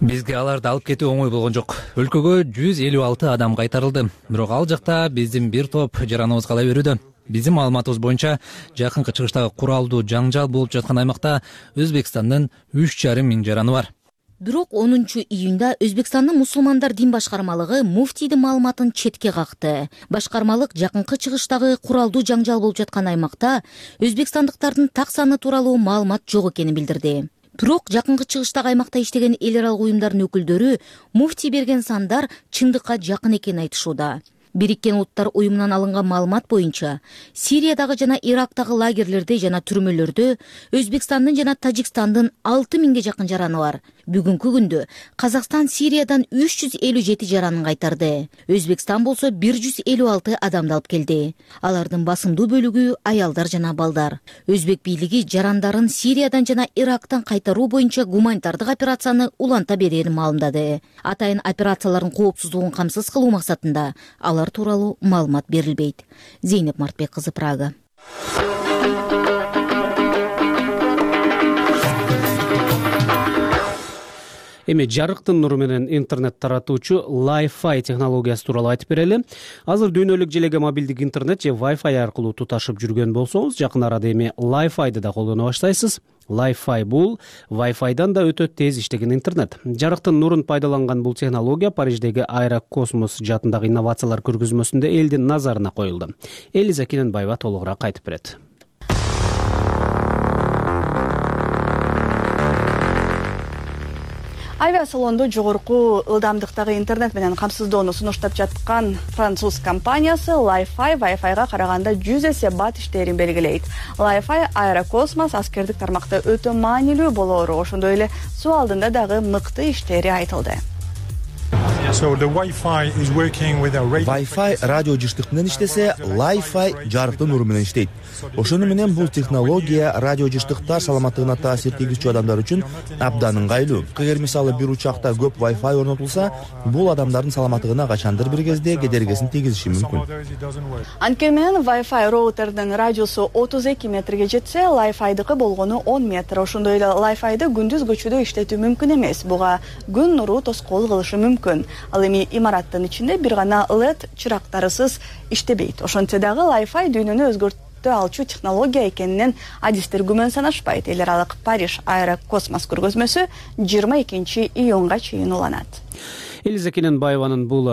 Бизге аларды алып кетүү оңой болгон жок. Өлкөгө жүз элүү алты адам кайтарылды. Бирок ал жакта биздин бир топ жараныбыз кала берүүдө. Биздин маалыматыбыз боюнча жакынкы чыгыштагы куралдуу жаңжал болуп жаткан аймакта Өзбекстандын үч жарым миң жараны бар. Бирок онунчу июнда Өзбекстандын мусулмандар дин башкармалыгы муфтийдин маалыматын четке какты. Башкармалык жакынкы чыгыштагы куралдуу жаңжал болуп жаткан аймакта өзбекстандыктардын так саны тууралуу маалымат жок экенин билдирди. Бирок жакынкы чыгыштагы аймакта иштеген эл аралык уюмдардын өкүлдөрү муфтий берген сандар чындыкка жакын экенин айтышууда. Бириккен Улуттар уюмунан алынган маалымат боюнча, Сириядагы жана Ирактагы лагерлерде жана түрмөлөрдө Өзбекстандын жана Тажикстандын алты миңге жакын жараны бар. Бүгүнкү күндө Казакстан Сириядан үч жүз элүү жети жаранын кайтарды. Өзбекстан болсо бир жүз элүү алты адамды алып келди. Алардын басымдуу бөлүгү аялдар жана балдар. Өзбек бийлиги жарандарын Сириядан жана Ирактан кайтаруу боюнча гуманитардык операцияны уланта берерин маалымдады. Атайын операциялардын коопсуздугун камсыз кылуу максатында алар тууралуу маалымат берилбейт. Зейнеп Мартбек кызы, Прага. Эми жарыктын нуру менен интернет таратуучу Wi-Fi технологиясы тууралуу айтып берели. Азыр дүйнөлүк желеге мобилдик интернет же Wi-Fi аркылуу туташып жүргөн болсоңуз, жакын арада эми Li-Fi'ды да колдоно баштайсыз. Li-Fi бул Wi-Fi'дан да өтө тез иштеген интернет. Жарыктын нурун пайдаланган бул технология Париждеги Аэрокосмос жаатындагы инновациялар көргөзмөсүндө элдин назарына коюлду. Элиза Кененбаева толугураак айтып берет. Авиасалонду жогорку ылдамдыктагы интернет менен камсыздоону сунуштап жаткан француз компаниясы Li-Fi Wi-Fi'га караганда жүз эсе бат иштээрин белгилейт. Li-Fi Аэрокосмос аскердик тармакта өтө маанилүү болоору, ошондой эле суу алдында дагы мыкты иштери айтылды. Wi-Fi радио жыштык менен иштесе, Li-Fi жарыктын нуру менен иштейт. Ошону менен бул технология радио жыштыктар саламаттыгына таасир тийгизчү адамдар үчүн абдан ыңгайлуу. Эгер мисалы бир учакта көп Wi-Fi орнотулса, бул адамдардын саламаттыгына качандыр бир кезде кедергисин тийгизиши мүмкүн. Анткени менен Wi-Fi роутердин радиусу отуз эки метрге жетсе, Li-Fi'дыкы болгону он метр. Ошондой эле Li-Fi'ды күндүз көчөдө иштетүү мүмкүн эмес. Буга күн нуру тоскоол кылышы мүмкүн. Ал эми имараттын ичинде бир гана эл и ди чырактарысыз иштебейт. Ошентсе дагы Li-Fi дүйнөнү өзгөртө алчу технология экенинен адистер күмөн санашпайт. Эл аралык Париж Аэрокосмос көргөзмөсү жыйырма экинчи июнга чейин уланат. Элиза Кененбаеванын бул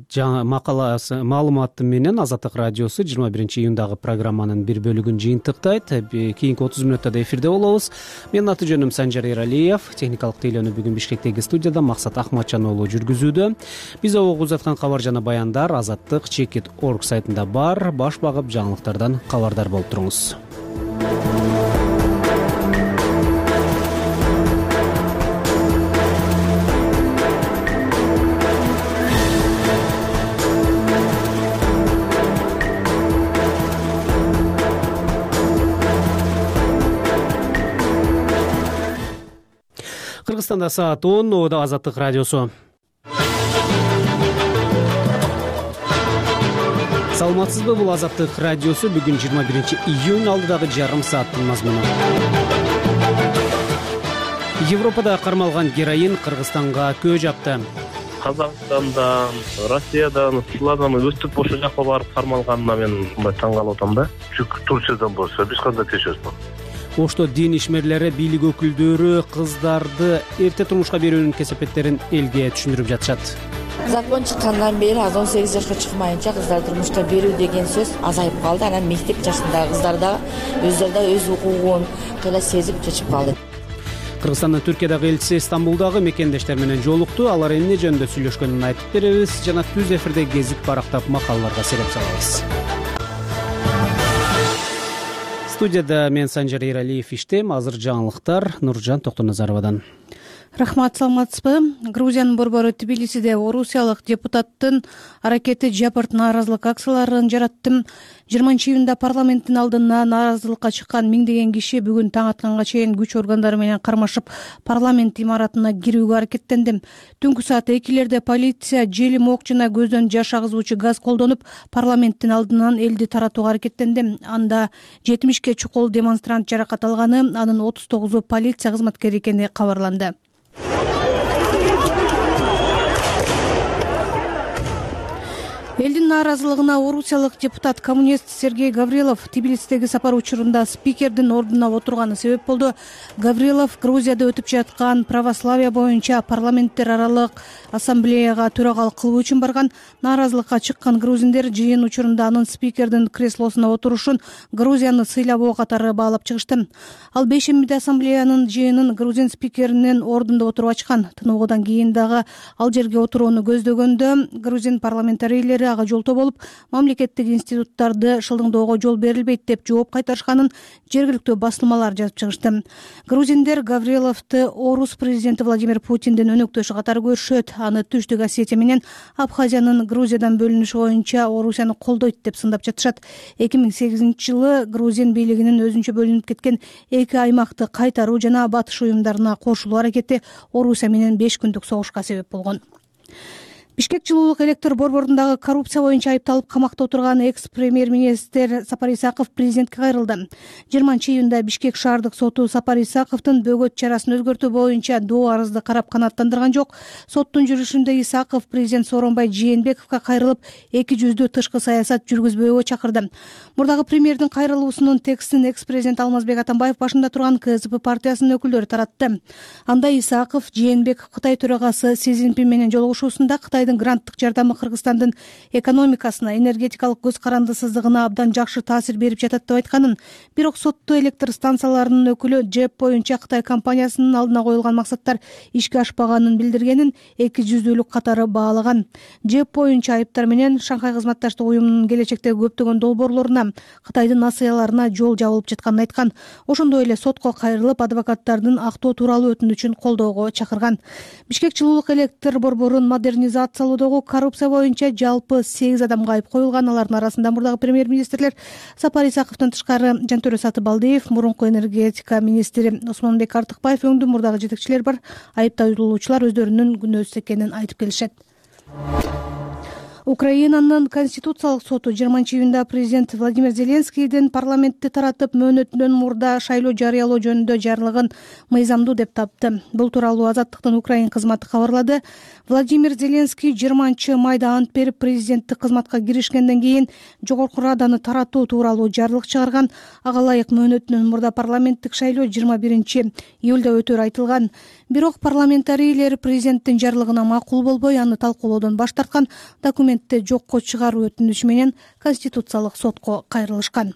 жаңы макаласы маалыматы менен Азаттык радиосу жыйырма биринчи июндагы программанын бир бөлүгүн жыйынтыктайт. Кийинки отуз мүнөттө да эфирде болобуз. Менин аты жөнүм Санжар Эралиев. Техникалык тейлөөнү бүгүн Бишкектеги студияда Максат Ахматжан уулу жүргүзүүдө. Биз окуп узаткан кабар жана баяндар азаттык чекит точка орг сайтында бар. Баш багып жаңылыктардан кабардар болуп туруңуз. Кыргызстанда саат он. Обода Азаттык радиосу. Саламатсызбы, бул Азаттык радиосу. Бүгүн жыйырма биринчи июнь, алдыдагы жарым сааттын мазмуну. Европада кармалган героин Кыргызстанга көө жапты. Казакстандан, Россиядан, сулардан өстүп ошол жака барып кармалганына мен мындай таң калып атам да. Чүнкү Турциядан болсо биз кандай тиешебиз? Ошто дин ишмерлери, бийлик өкүлдөрү кыздарды эрте турмушка берүүнүн кесепеттерин элге түшүндүрүп жатышат. Закон чыккандан бери аз он сегиз жашка чыкмайынча кыздар турмушка берүү деген сөз азайып калды. Анан мектеп жашындагы кыздар да өздөрү да өз укугун кыйла сезип чечип калды. Кыргызстандын Түркиядагы элчиси Стамбулдагы мекендештер менен жолукту. Алар эмне жөнүндө сүйлөшкөнүн айтып беребиз жана түз эфирде гезит барактап макалаларга сереп салабыз. Студияда мен Санжар Эралиев иштейм. Азыр жаңылыктар Нуржан Токтоназаровадан. Рахмат, саламатсызбы? Грузиянын борбору Тбилисиде орусиялык депутаттын аракети жапырт нааразылык акцияларын жаратты. жыйырманчы июнда парламенттин алдына нааразылыкка чыккан миңдеген киши бүгүн таң атканга чейин күч органдары менен кармашып парламент имаратына кирүүгө аракеттенди. Түнкү саат экилерде полиция желим ок жана көздөн жаш агызуучу газ колдонуп парламенттин алдынан элди таратууга аракеттенди. Анда жетимишке чукул демонстрант жаракат алганы, анын отуз тогузу полиция кызматкери экени кабарланды. Элдин нааразылыгына орусиялык депутат коммунист Сергей Гаврилов Тбилисидеги сапар учурунда спикердин ордуна отурганы себеп болду. Гаврилов Грузияда өтүп жаткан православие боюнча парламенттер аралык ассамблеяга төрагалык кылуу үчүн барган. Нааразылыкка чыккан грузиндер жыйын учурунда анын спикердин креслосуна отурушун Грузияны сыйлабоо катары баалап чыгышты. Ал бейшембиде ассамблеянын жыйынын грузин спикеринин ордунда отуруп ачкан. Тыныгуудан кийин дагы ал жерге отурууну көздөгөндө грузин парламентарийлери ага жолтоо болуп, мамлекеттик институттарды шылдыңдоого жол берилбейт деп жооп кайтарышканын жергиликтүү басылмалар жазып чыгышты. Грузиндер Гавриловду орус президенти Владимир Путиндин өнөктөшү катары көрүшөт. Аны Түштүк Осетия менен Абхазиянын Грузиядан бөлүнүшү боюнча Орусияны колдойт деп сындап жатышат. эки миң сегизинчи жылы грузин бийлигинин өзүнчө бөлүнүп кеткен эки аймакты кайтаруу жана батыш уюмдарына кошулуу аракети Орусия менен беш күндүк согушка себеп болгон. Бишкек жылуулук электр борборундагы коррупция боюнча айыпталып камакта отурган экс-премьер-министр Сапар Исаков президентке кайрылды. жыйырманчы июнда Бишкек шаардык соту Сапар Исаковдун бөгөт чарасын өзгөртүү боюнча доо арызды карап канааттандырган жок. Соттун жүрүшүндө Исаков президент Сооронбай Жээнбековго кайрылып, эки жүздүү тышкы саясат жүргүзбөөгө чакырды. Мурдагы премьердин кайрылуусунун текстин экс-президент Алмазбек Атамбаев башында турган КСДП партиясынын өкүлдөрү таратты. Анда Исаков Жээнбеков Кытай төрагасы Си Цзиньпин менен жолугушуусунда Кытай гранттык жардамы Кыргызстандын экономикасына, энергетикалык көз карандысыздыгына абдан жакшы таасир берип жатат деп айтканын, бирок сотту электр станцияларынын өкүлү ЖЭП боюнча Кытай компаниясынын алдына коюлган максаттар ишке ашпаганын билдиргенин эки жүздүүлүк катары баалаган. ЖЭП боюнча айыптар менен Шанхай кызматташтык уюмунун келечектеги көптөгөн долбоорлоруна, Кытайдын насыяларына жол жабылып жатканын айткан. Ошондой эле сотко кайрылып, адвокаттардын актоо тууралуу өтүнүчүн колдоого чакырган. Бишкек жылуулук электр борборун модернизация салуудагы коррупция боюнча жалпы сегиз адамга айып коюлган. Алардын арасында мурдагы премьер-министрлер Сапар Исаковдон тышкары Жантөрө Сатыбалдиев, мурунку энергетика министри Осмонбек Артыкбаев өңдүү мурдагы жетекчилер бар. Айыпталуучулар өздөрүнүн күнөөсүз экенин айтып келишет. Украинанын конституциялык соту жыйырманчы июнда президент Владимир Зеленскийдин парламентти таратып мөөнөтүнөн мурда шайлоо жарыялоо жөнүндө жарлыгын мыйзамдуу деп тапты. Бул тууралуу Азаттыктын Украин кызматы кабарлады. Владимир Зеленский жыйырманчы майда ант берип президенттик кызматка киришкенден кийин жогорку раданы таратуу тууралуу жарлык чыгарган. Ага ылайык мөөнөтүнөн мурда парламенттик шайлоо жыйырма биринчи июлда өтөрү айтылган. Бирок парламентарийлер президенттин жарлыгына макул болбой, аны талкуулоодон баш тарткан. Документти жокко чыгаруу өтүнүшү менен конституциялык сотко кайрылышкан.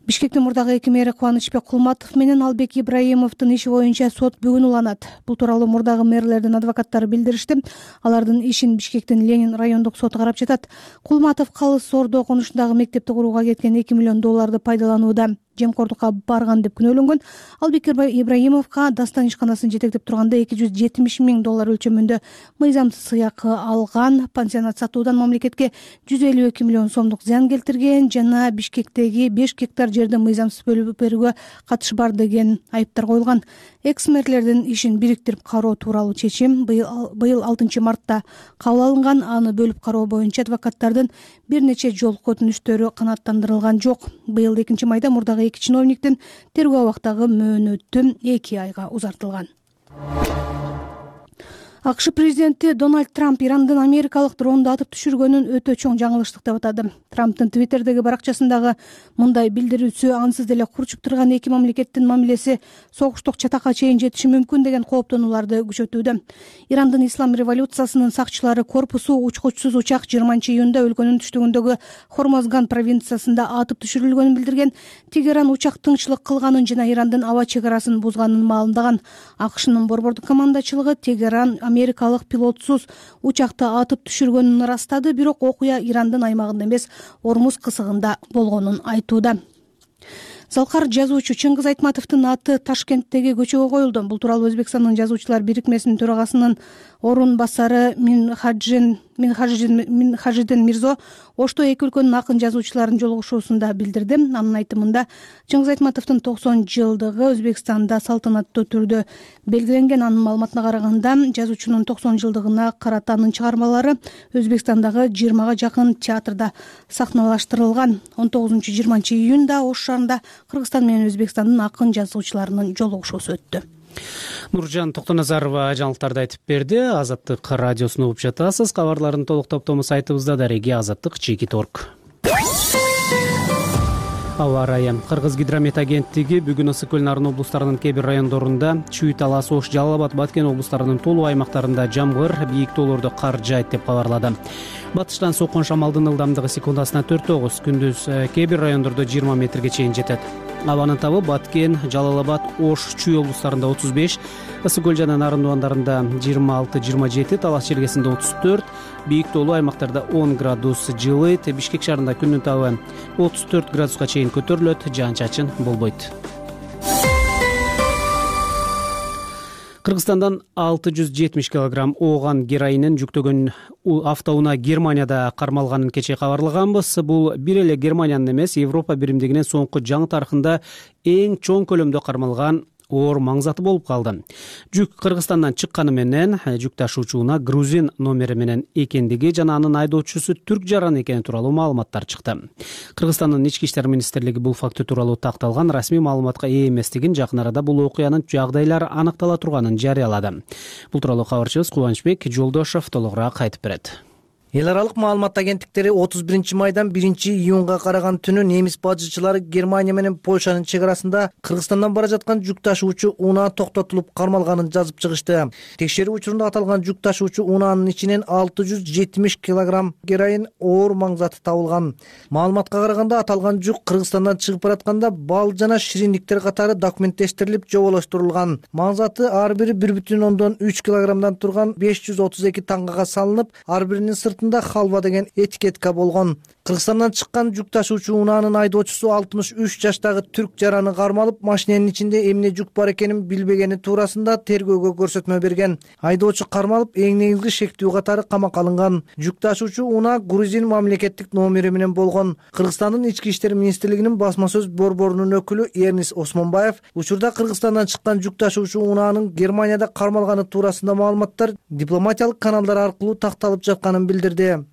Бишкектин мурдагы эки мэри Кубанычбек Кулматов менен Албек Ибраимовдун иши боюнча сот бүгүн уланат. Бул тууралуу мурдагы мэрлердин адвокаттары билдиришти. Алардын ишин Бишкектин Ленин райондук соту карап жатат. Кулматов Калыс Ордо конушундагы мектепти курууга кеткен эки миллион долларды пайдаланууда. жемкордукка барган деп күнөөлөнгөн. Албек Ибраимовго Дастан ишканасын жетектеп турганда эки жүз жетимиш миң доллар өлчөмүндө мыйзамсыз сыйакы алган, пансионат сатуудан мамлекетке жүз элүү эки миллион сомдук зыян келтирген жана Бишкектеги беш гектар жерди мыйзамсыз бөлүп берүүгө катышы бар деген айыптар коюлган. Экс-мэрлердин ишин бириктирип кароо тууралуу чечим быйыл алтынчы мартта кабыл алынган. Аны бөлүп кароо боюнча адвокаттардын бир нече жолку өтүнүштөрү канааттандырылган жок. Быйыл экинчи майда мурдагы эки чиновниктин тергөө абактагы мөөнөтү эки айга узартылган. АКШ президенти Дональд Трамп Ирандын америкалык дронду атып түшүргөнүн өтө чоң жаңылыштык деп атады. Трамптын Твиттердеги баракчасындагы мындай билдирүүсү ансыз деле курчуп турган эки мамлекеттин мамилеси согуштук чатакка чейин жетиши мүмкүн деген кооптонууларды күчөтүүдө. Ирандын ислам революциясынын сакчылары корпусу учкучсуз учак жыйырманчы июнда өлкөнүн түштүгүндөгү Хормозган провинциясында атып түшүрүлгөнүн билдирген. Тегеран учак тынччылык кылганын жана Ирандын аба чек арасын бузганын маалымдаган. АКШнын борбордук командачылыгы Тегеран америкалык пилотсуз учакты атып түшүргөнүн ырастады, бирок окуя Ирандын аймагында эмес, Ормуз кысыгында болгонун айтууда. Залкар жазуучу Чыңгыз Айтматовдун аты Ташкенттеги көчөгө коюлду. Бул тууралуу Өзбекстандын жазуучулар бирикмесинин төрагасынын орун басары Минхажидин Минхажидин Мирзо Ошто эки өлкөнүн акын жазуучуларынын жолугушуусунда билдирди. Анын айтымында Чыңгыз Айтматовдун токсон жылдыгы Өзбекстанда салтанаттуу түрдө белгиленген. Анын маалыматына караганда, жазуучунун токсон жылдыгына карата анын чыгармалары Өзбекстандагы жыйырмага жакын театрда сахналаштырылган. он тогузунчу жыйырманчы июнда Ош шаарында Кыргызстан менен Өзбекстандын акын жазуучуларынын жолугушуусу өттү. Нуржан Токтоназарова жаңылыктарды айтып берди. Азаттык радиосун угуп жатасыз. Кабарлардын толук топтому сайтыбызда дареги азаттык чекит точка орг. Аба ырайы. Кыргыз гидромет агенттиги бүгүн Ысык көл Нарын облустарынын кээ бир райондорунда, Чүй, Талас, Ош, Жалал Абад, Баткен облустарынын толуу аймактарында жамгыр, бийик тоолордо кар жаайт деп кабарлады. Батыштан соккон шамалдын ылдамдыгы секундасына төрт тогуз, күндүз кээ бир райондордо жыйырма метрге чейин жетет. Абанын табы Баткен, Жалал Абад, Ош, Чүй облустарында отуз беш, Ысык көл жана Нарын дубандарында жыйырма алты жыйырма жети, Талас чергесинде отуз төрт, бийик тоолуу аймактарда он градус жылыйт. Бишкек шаарында күндүн табы отуз төрт градуска чейин көтөрүлөт, жаан-чачын болбойт. Кыргызстандан алты жүз жетимиш килограмм ооган героинин жүктөгөн автоунаа Германияда кармалганын кечээ кабарлаганбыз. Бул бир эле Германиянын эмес, Европа биримдигинин соңку жаңы тарыхында эң чоң көлөмдө кармалган оор маң заты болуп калды. Жүк Кыргызстандан чыкканы менен жүк ташуучу унаа грузин номери менен экендиги жана анын айдоочусу түрк жаран экени тууралуу маалыматтар чыкты. Кыргызстандын ички иштер министрлиги бул факты тууралуу такталган расмий маалыматка ээ эместигин, жакын арада бул окуянын жагдайлары аныктала турганын жарыялады. Бул тууралуу кабарчыбыз Кубанычбек Жолдошов толугураак айтып берет. Эл аралык маалымат агенттиктери отуз биринчи майдан биринчи июнга караган түнү немис бажычылары Германия менен Польшанын чек арасында Кыргызстандан бара жаткан жүк ташуучу унаа токтотулуп кармалганын жазып чыгышты. Текшерүү учурунда аталган жүк ташуучу унаанын ичинен алты жүз жетимиш килограмм героин оор маң заты табылган. Маалыматка караганда аталган жүк Кыргызстандан чыгып баратканда бал жана шириндиктер катары документтештирилип жоболоштурулган. Маң заты ар бири бир бүтүн ондон үч килограммдан турган беш жүз отуз эки тангага салынып, ар биринин сыртында халва деген этикетка болгон. Кыргызстандан чыккан жүк ташуучу унаанын айдоочусу алтымыш үч жаштагы түрк жараны кармалып, машиненин ичинде эмне жүк бар экенин билбегени туурасында тергөөгө көрсөтмө берген. Айдоочу кармалып, эң негизги шектүү катары камакка алынган. Жүк ташуучу унаа грузин мамлекеттик номери менен болгон. Кыргызстандын ички иштер министрлигинин басма сөз борборунун өкүлү Эрнис Осмонбаев учурда Кыргызстандан чыккан жүк ташуучу унаанын Германияда кармалганы туурасында маалыматтар дипломатиялык каналдар аркылуу такталып жатканын билдирди.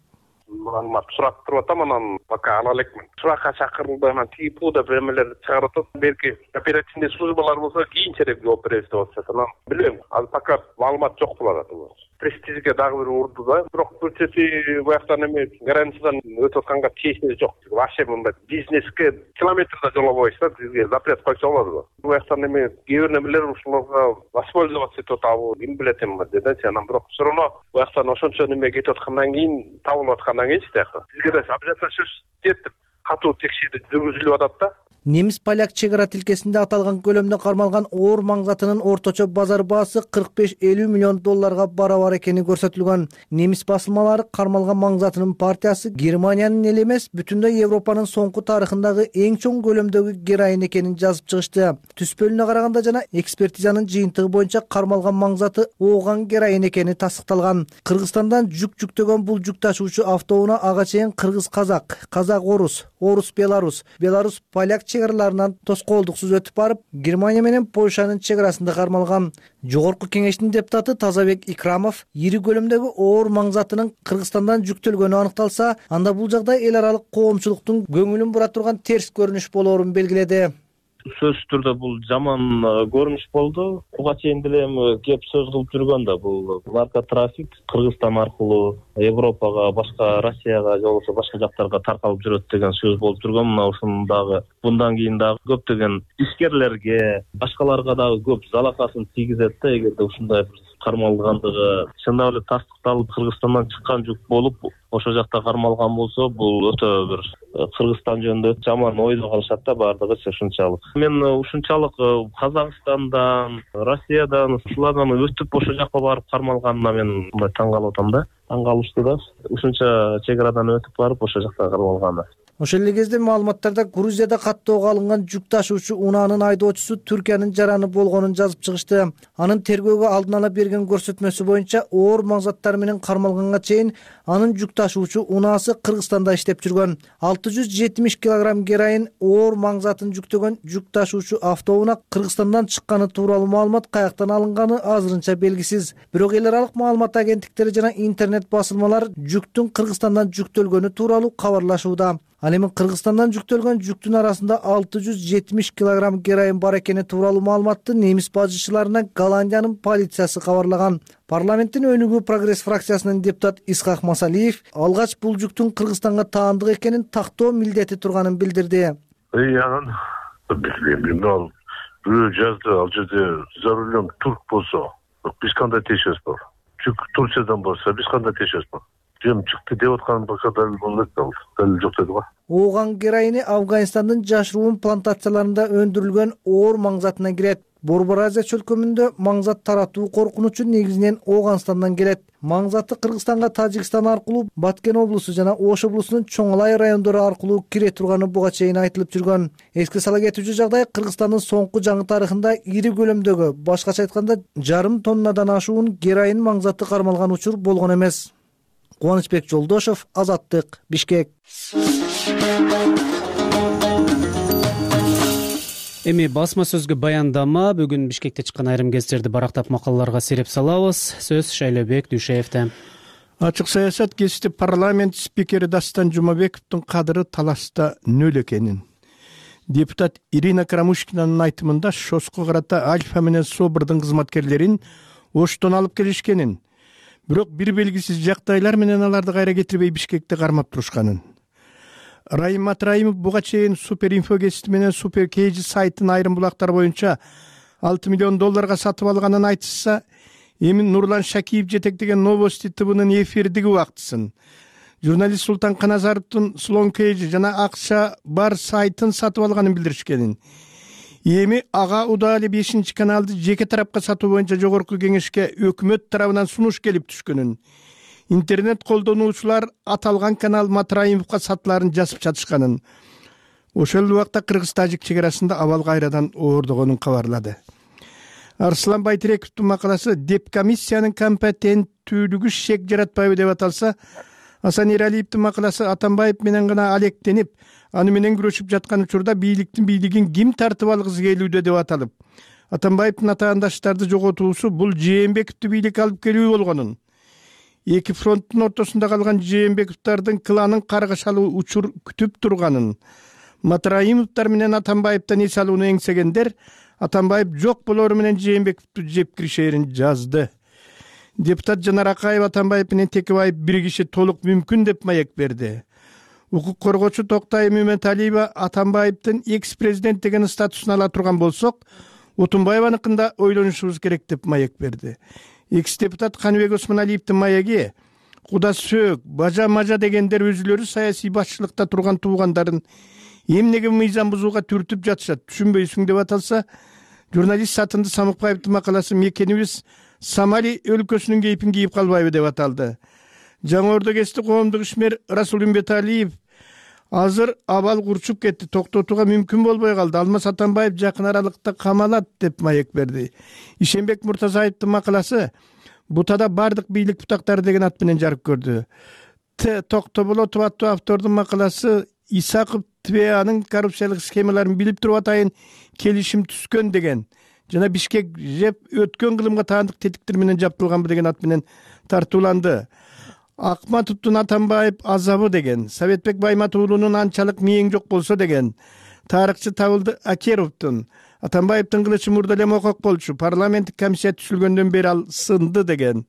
Маалымат сурап туруп атам, анан пока ала элекмин. Суракка чакырылды, анан типуда бремелерди чыгарып атат. Белки оперативный службалар болсо кийинчерээк жооп беребиз деп атышат. Анан билбейм, азыр пока маалымат жок болот. Престижге дагы бир урду да. Бирок бул чети бияктан эме границадан өтүп атканга тиешеси жок. Вообще мындай бизнеске километрда жолобойбуз да, бизге запрет койсо болот. Бияктан эме кээ бир немелер ушуларга воспользоваться этип атабы, ким билет эми деди. Анан бирок все равно бияктан ошончо неме кетип аткандан кийин, табылып аткандан кийин тияка бизге да обязательно сөз жетип катуу текшерүү жүргүзүлүп атат да. немис поляк чек ара тилкесинде аталган көлөмдө кармалган оор маң затынын орточо базар баасы кырк беш элүү миллион долларга барабар экени көрсөтүлгөн. Немис басылмалары кармалган маң затынын партиясы Германиянын эле эмес, бүтүндөй Европанын соңку тарыхындагы эң чоң көлөмдөгү героин экенин жазып чыгышты. Түспөлүнө караганда жана экспертизанын жыйынтыгы боюнча кармалган маң заты ооган героин экени тастыкталган. Кыргызстандан жүк жүктөгөн бул жүк ташуучу автоунаа ага чейин кыргыз-казак, казак-орус, орус-беларус, беларус-поляк чек араларынан тоскоолдуксуз өтүп барып, Германия менен Польшанын чек арасында кармалган. Жогорку кеңештин депутаты Тазабек Икрамов ири көлөмдөгү оор маң затынын Кыргызстандан жүктөлгөнү аныкталса, анда бул жагдай эл аралык коомчулуктун көңүлүн бура турган терс көрүнүш болоорун белгиледи. Сөзсүз түрдө бул жаман көрүнүш болду. Буга чейин деле эми кеп сөз кылып жүргөн да бул наркотрафик Кыргызстан аркылуу Европага, башка Россияга же болбосо башка жактарга таркалып жүрөт деген сөз болуп жүргөн. Мына ушуну дагы мындан кийин дагы көптөгөн ишкерлерге, башкаларга дагы көп залакасын тийгизет да, эгерде ушундай бир кармалгандыгы чындап эле тастыкталып Кыргызстандан чыккан жүк болуп ошол жакта кармалган болсо, бул өтө бир Кыргызстан жөнүндө жаман ойдо калышат да баардыгы ушунчалык. Мен ушунчалык Казакстандан, Россиядан, ушулардан өтүп ошол жака барып кармалганына мен мындай таң калып атам да. Таң калыштуу да. Ушунча чек арадан өтүп барып ошол жакта кармалганы. Ошол эле кезде маалыматтарда Грузияда каттоого алынган жүк ташуучу унаанын айдоочусу Түркиянын жараны болгонун жазып чыгышты. Анын тергөөгө алдын ала берген көрсөтмөсү боюнча оор маң заттар менен кармалганга чейин анын жүк ташуучу унаасы Кыргызстанда иштеп жүргөн. алты жүз жетимиш килограмм героин оор маң затын жүктөгөн жүк ташуучу автоунаа Кыргызстандан чыкканы тууралуу маалымат каяктан алынганы азырынча белгисиз. Бирок эл аралык маалымат агенттиктери жана интернет басылмалар жүктүн Кыргызстандан жүктөлгөнү тууралуу кабарлашууда. Ал эми Кыргызстандан жүктөлгөн жүктүн арасында алты жүз жетимиш килограмм героин бар экени тууралуу маалыматты немис бажычыларына Голландиянын полициясы кабарлаган. Парламенттин өнүгүү прогресс фракциясынын депутат Исхак Масалиев алгач бул жүктүн Кыргызстанга таандык экенин тактоо милдети турганын билдирди. Анан билбейм, ал бирөө жазды, ал жерде за рулем турк болсо, биз кандай тиешебиз бар? Жүк Турциядан болсо, биз кандай тиешебиз бар? Жем чыкты деп аткан бака дал болот да, дал жок деди го. Ооган героини Афганистандын жашыруун плантацияларында өндүрүлгөн оор маң затына кирет. Борбор Азия чөлкөмүндө маң зат таратуу коркунучу негизинен Ооганстандан келет. Маң заты Кыргызстанга Тажикстан аркылуу Баткен облусу жана Ош облусунун Чоңалай райондору аркылуу кире турганы буга чейин айтылып жүргөн. Эске сала кетүүчү жагдай Кыргызстандын соңку жаңы тарыхында ири көлөмдөгү, башкача айтканда жарым тоннадан ашуун героин маң заты кармалган учур болгон эмес. Кубанычбек Жолдошов, Азаттык, Бишкек. Эми басма сөзгө баяндама бүгүн Бишкекте чыккан айрым кездерди барактап макалаларга сереп салабыз. Сөз Шайлобек Дүйшеевде. Ачык саясат кесипти парламент спикери Дастан Жумабековдун кадыры таласта нөл экенин. Депутат Ирина Карамушкинанын айтымында ШОСко карата Альфа менен Собордун кызматкерлерин Оштон алып келишкенин, бирок бир белгисиз жагдайлар менен аларды кайра кетирбей Бишкекте кармап турушканын. Райым Матраимов буга чейин Суперинфо гезити менен Супер Кейжи сайтын айрым булактар боюнча алты миллион долларга сатып алганын айтышса, эми Нурлан Шакиев жетектеген Новости ТВнын эфирдиги убактысын, журналист Султан Каназаровдун Слон Кейжи жана акча бар сайтын сатып алганын билдиришкенин. Эми ага удаалы бешинчи каналды жеке тарапка сатуу боюнча жогорку кеңешке өкмөт тарабынан сунуш келип түшкөнүн. Интернет колдонуучулар аталган канал Матраимовго сатыларын жазып жатышканын. Ошол убакта Кыргыз-Тажик чек арасында абал кайрадан оордогонун кабарлады. Арслан Байтирековдун макаласы деп комиссиянын компетенттүүлүгү шек жаратпайбы деп аталса, Асан Эралиевдин макаласы Атамбаев менен гана алектенип, аны менен күрөшүп жаткан учурда бийликтин бийлигин ким тартып алгысы келүүдө деп аталып, Атамбаевдин атаандаштарды жоготуусу бул Жээнбековду бийлик алып келүү болгонун, эки фронттун ортосунда калган Жээнбековдардын кланын каргашалуу учур күтүп турганын, Матраимовдор менен Атамбаевден эс алууну эңсегендер Атамбаев жок болору менен Жээнбековду жеп киришерин жазды. Депутат Жанар Акаев Атамбаев менен Текебаев биригиши толук мүмкүн деп маек берди. Укук коргоочу Токтай Мөмөталиева Атамбаевдин экс-президент деген статусун ала турган болсок, Отунбаеваныкында ойлонушубуз керек деп маек берди. Экс-депутат Каныбек Осмоналиевдин маеги Куда сөөк, бажа мажа дегендер өзүлөрү саясий башчылыкта турган туугандарын эмнеге мыйзам бузууга түртүп жатышат түшүнбөйсүң деп аталса, журналист Сатынды Самыкбаевдин макаласы мекенибиз Сомали өлкөсүнүн кейпин кийип калбайбы деп аталды. Жаңы Ордо КСти коомдук ишмер Расул Үмбеталиев азыр абал курчуп кетти, токтотууга мүмкүн болбой калды. Алмаз Атамбаев жакын аралыкта камалат деп маек берди. Ишенбек Муртазаевдин макаласы Бутада бардык бийлик бутактары деген ат менен жарык көрдү. Т Токтоболотов аттуу автордун макаласы Исаков ТВАнын коррупциялык схемаларын билип туруп атайын келишим түзгөн деген жана Бишкек жеп өткөн кылымга таандык тетиктер менен жаптылганбы деген ат менен тартууланды. Акматовдун Атамбаев азабы деген, Советбек Баймат уулунун анчалык мээң жок болсо деген, тарыхчы Табылды Акеровдун Атамбаевдин кылычы мурда эле мокок болчу, парламенттик комиссия түзүлгөндөн бери ал сынды деген,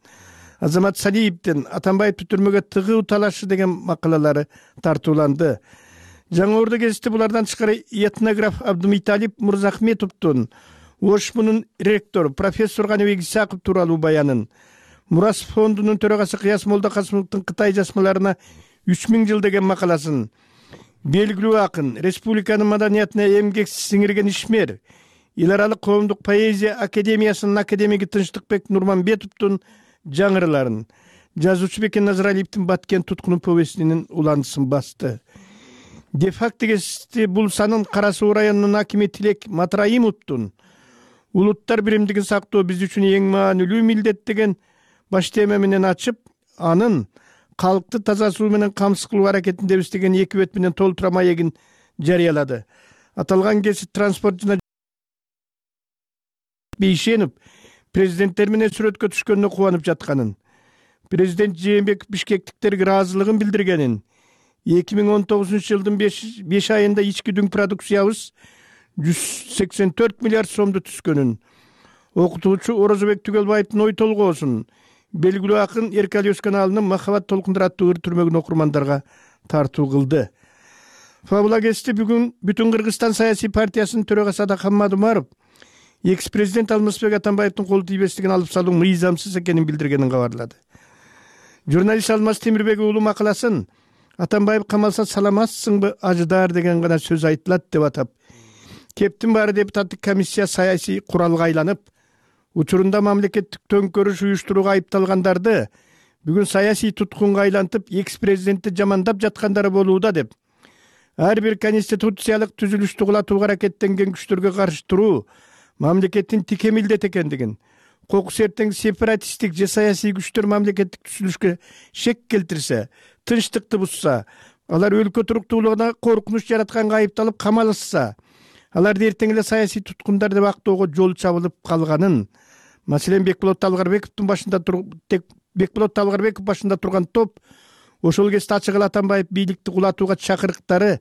Азамат Салиевдин Атамбаевди түрмөгө тыгуу талашы деген макалалары тартууланды. Жаңы Ордо КСти булардан тышкары этнограф Абдумиталип Мурзахметовдун ОШМунун ректору профессор Каныбек Исаков тууралуу баянын, Мурас фондунун төрагасы Кыяс Молдокасымовдун Кытай жазмаларына үч миң жыл деген макаласын, белгилүү акын, республиканын маданиятына эмгек сиңирген ишмер, эл аралык коомдук поэзия академиясынын академиги Тынчтыкбек Нурманбетовдун жаңырыларын, жазуучу Бекен Назаралиевдин Баткен туткунун повестинин уландысын басты. Де-факто КСти бул санын Кара Суу районунун акими Тилек Матраимовдун улуттар биримдигин сактоо биз үчүн эң маанилүү милдет деген баш тема менен ачып, анын калкты таза суу менен камсыз кылуу аракетиндебиз деген эки бет менен толтура маегин жарыялады. Аталган кесип транспорт жана Бейшенов президенттер менен сүрөткө түшкөнүнө кубанып жатканын, президент Жээнбеков бишкектиктерге ыраазылыгын билдиргенин, эки миң он тогузунчу жылдын беш айында ички дүң продукциябыз жүз сексен төрт миллиард сомду түзгөнүн, окутуучу Орозобек Түгөлбаевдин ой толгоосун, белгилүү акын Эркали Өскөналынын Махабат толкундар аттуу ыр түрмөгүн окурмандарга тартуу кылды. Фабула КСти бүгүн Бүтүн Кыргызстан саясий партиясынын төрагасы Адакхан Умаров экс-президент Алмазбек Атамбаевдин кол тийбестигин алып салуу мыйзамсыз экенин билдиргенин кабарлады. Журналист Алмаз Темирбек уулу макаласын Атамбаев камалса саламатсыңбы ажыдар деген гана сөз айтылат деп атап, кептин баары депутаттык комиссия саясий куралга айланып, учурунда мамлекеттик төңкөрүш уюштурууга айыпталгандарды бүгүн саясий туткунга айлантып, экс-президентти жамандап жаткандары болууда деп, ар бир конституциялык түзүлүштү кулатууга аракеттенген күчтөргө каршы туруу мамлекеттин тике милдети экендигин, кокус эртең сепаратисттик же саясий күчтөр мамлекеттик түзүлүшкө шек келтирсе, тынчтыкты бузса, алар өлкө туруктуулугуна коркунуч жаратканга айыпталып камалышса, аларды эртең эле саясий туткундар деп актоого жол чабылып калганын, маселен Бекболот Талгарбековдун башында тек Бекболот Талгарбеков башында турган топ ошол кезде ачык эле Атамбаев бийликти кулатууга чакырыктары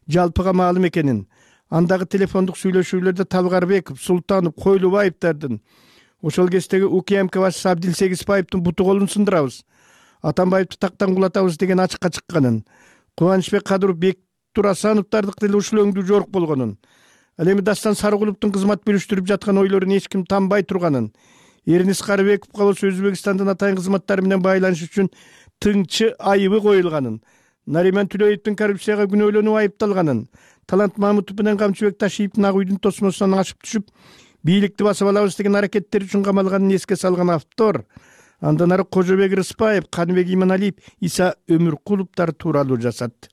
жалпыга маалым экенин, андагы телефондук сүйлөшүүлөрдө Талгарбеков, Султанов, Койлубаевдардын, ошол кездеги УКМК башчысы Абдил Сегизбаевдин буту колун сындырабыз, Атамбаевди тактан кулатабыз деген ачыкка чыкканын, Кубанычбек Кадыров, Бек Турасановдардыкы деле ушул өңдүү жорук болгонун, ал эми Дастан Сарыгуловдун кызмат бөлүштүрүп жаткан ойлорун эч ким танбай турганын, Эрнис Карыбековго болсо Өзбекстандын атайын кызматтары менен байланыш үчүн тыңчы айыбы коюлганын, Нариман Түлөевдин коррупцияга күнөөлөнүп айыпталганын, Талант Мамутов менен Камчыбек Ташиевдин ак үйдүн тосмосунан ашып түшүп, бийликти басып алабыз деген аракеттери үчүн камалганын эске салган автор, андан ары Кожобек Рыспаев, Каныбек Иманалиев, Иса Өмүркуловдор тууралуу жазат.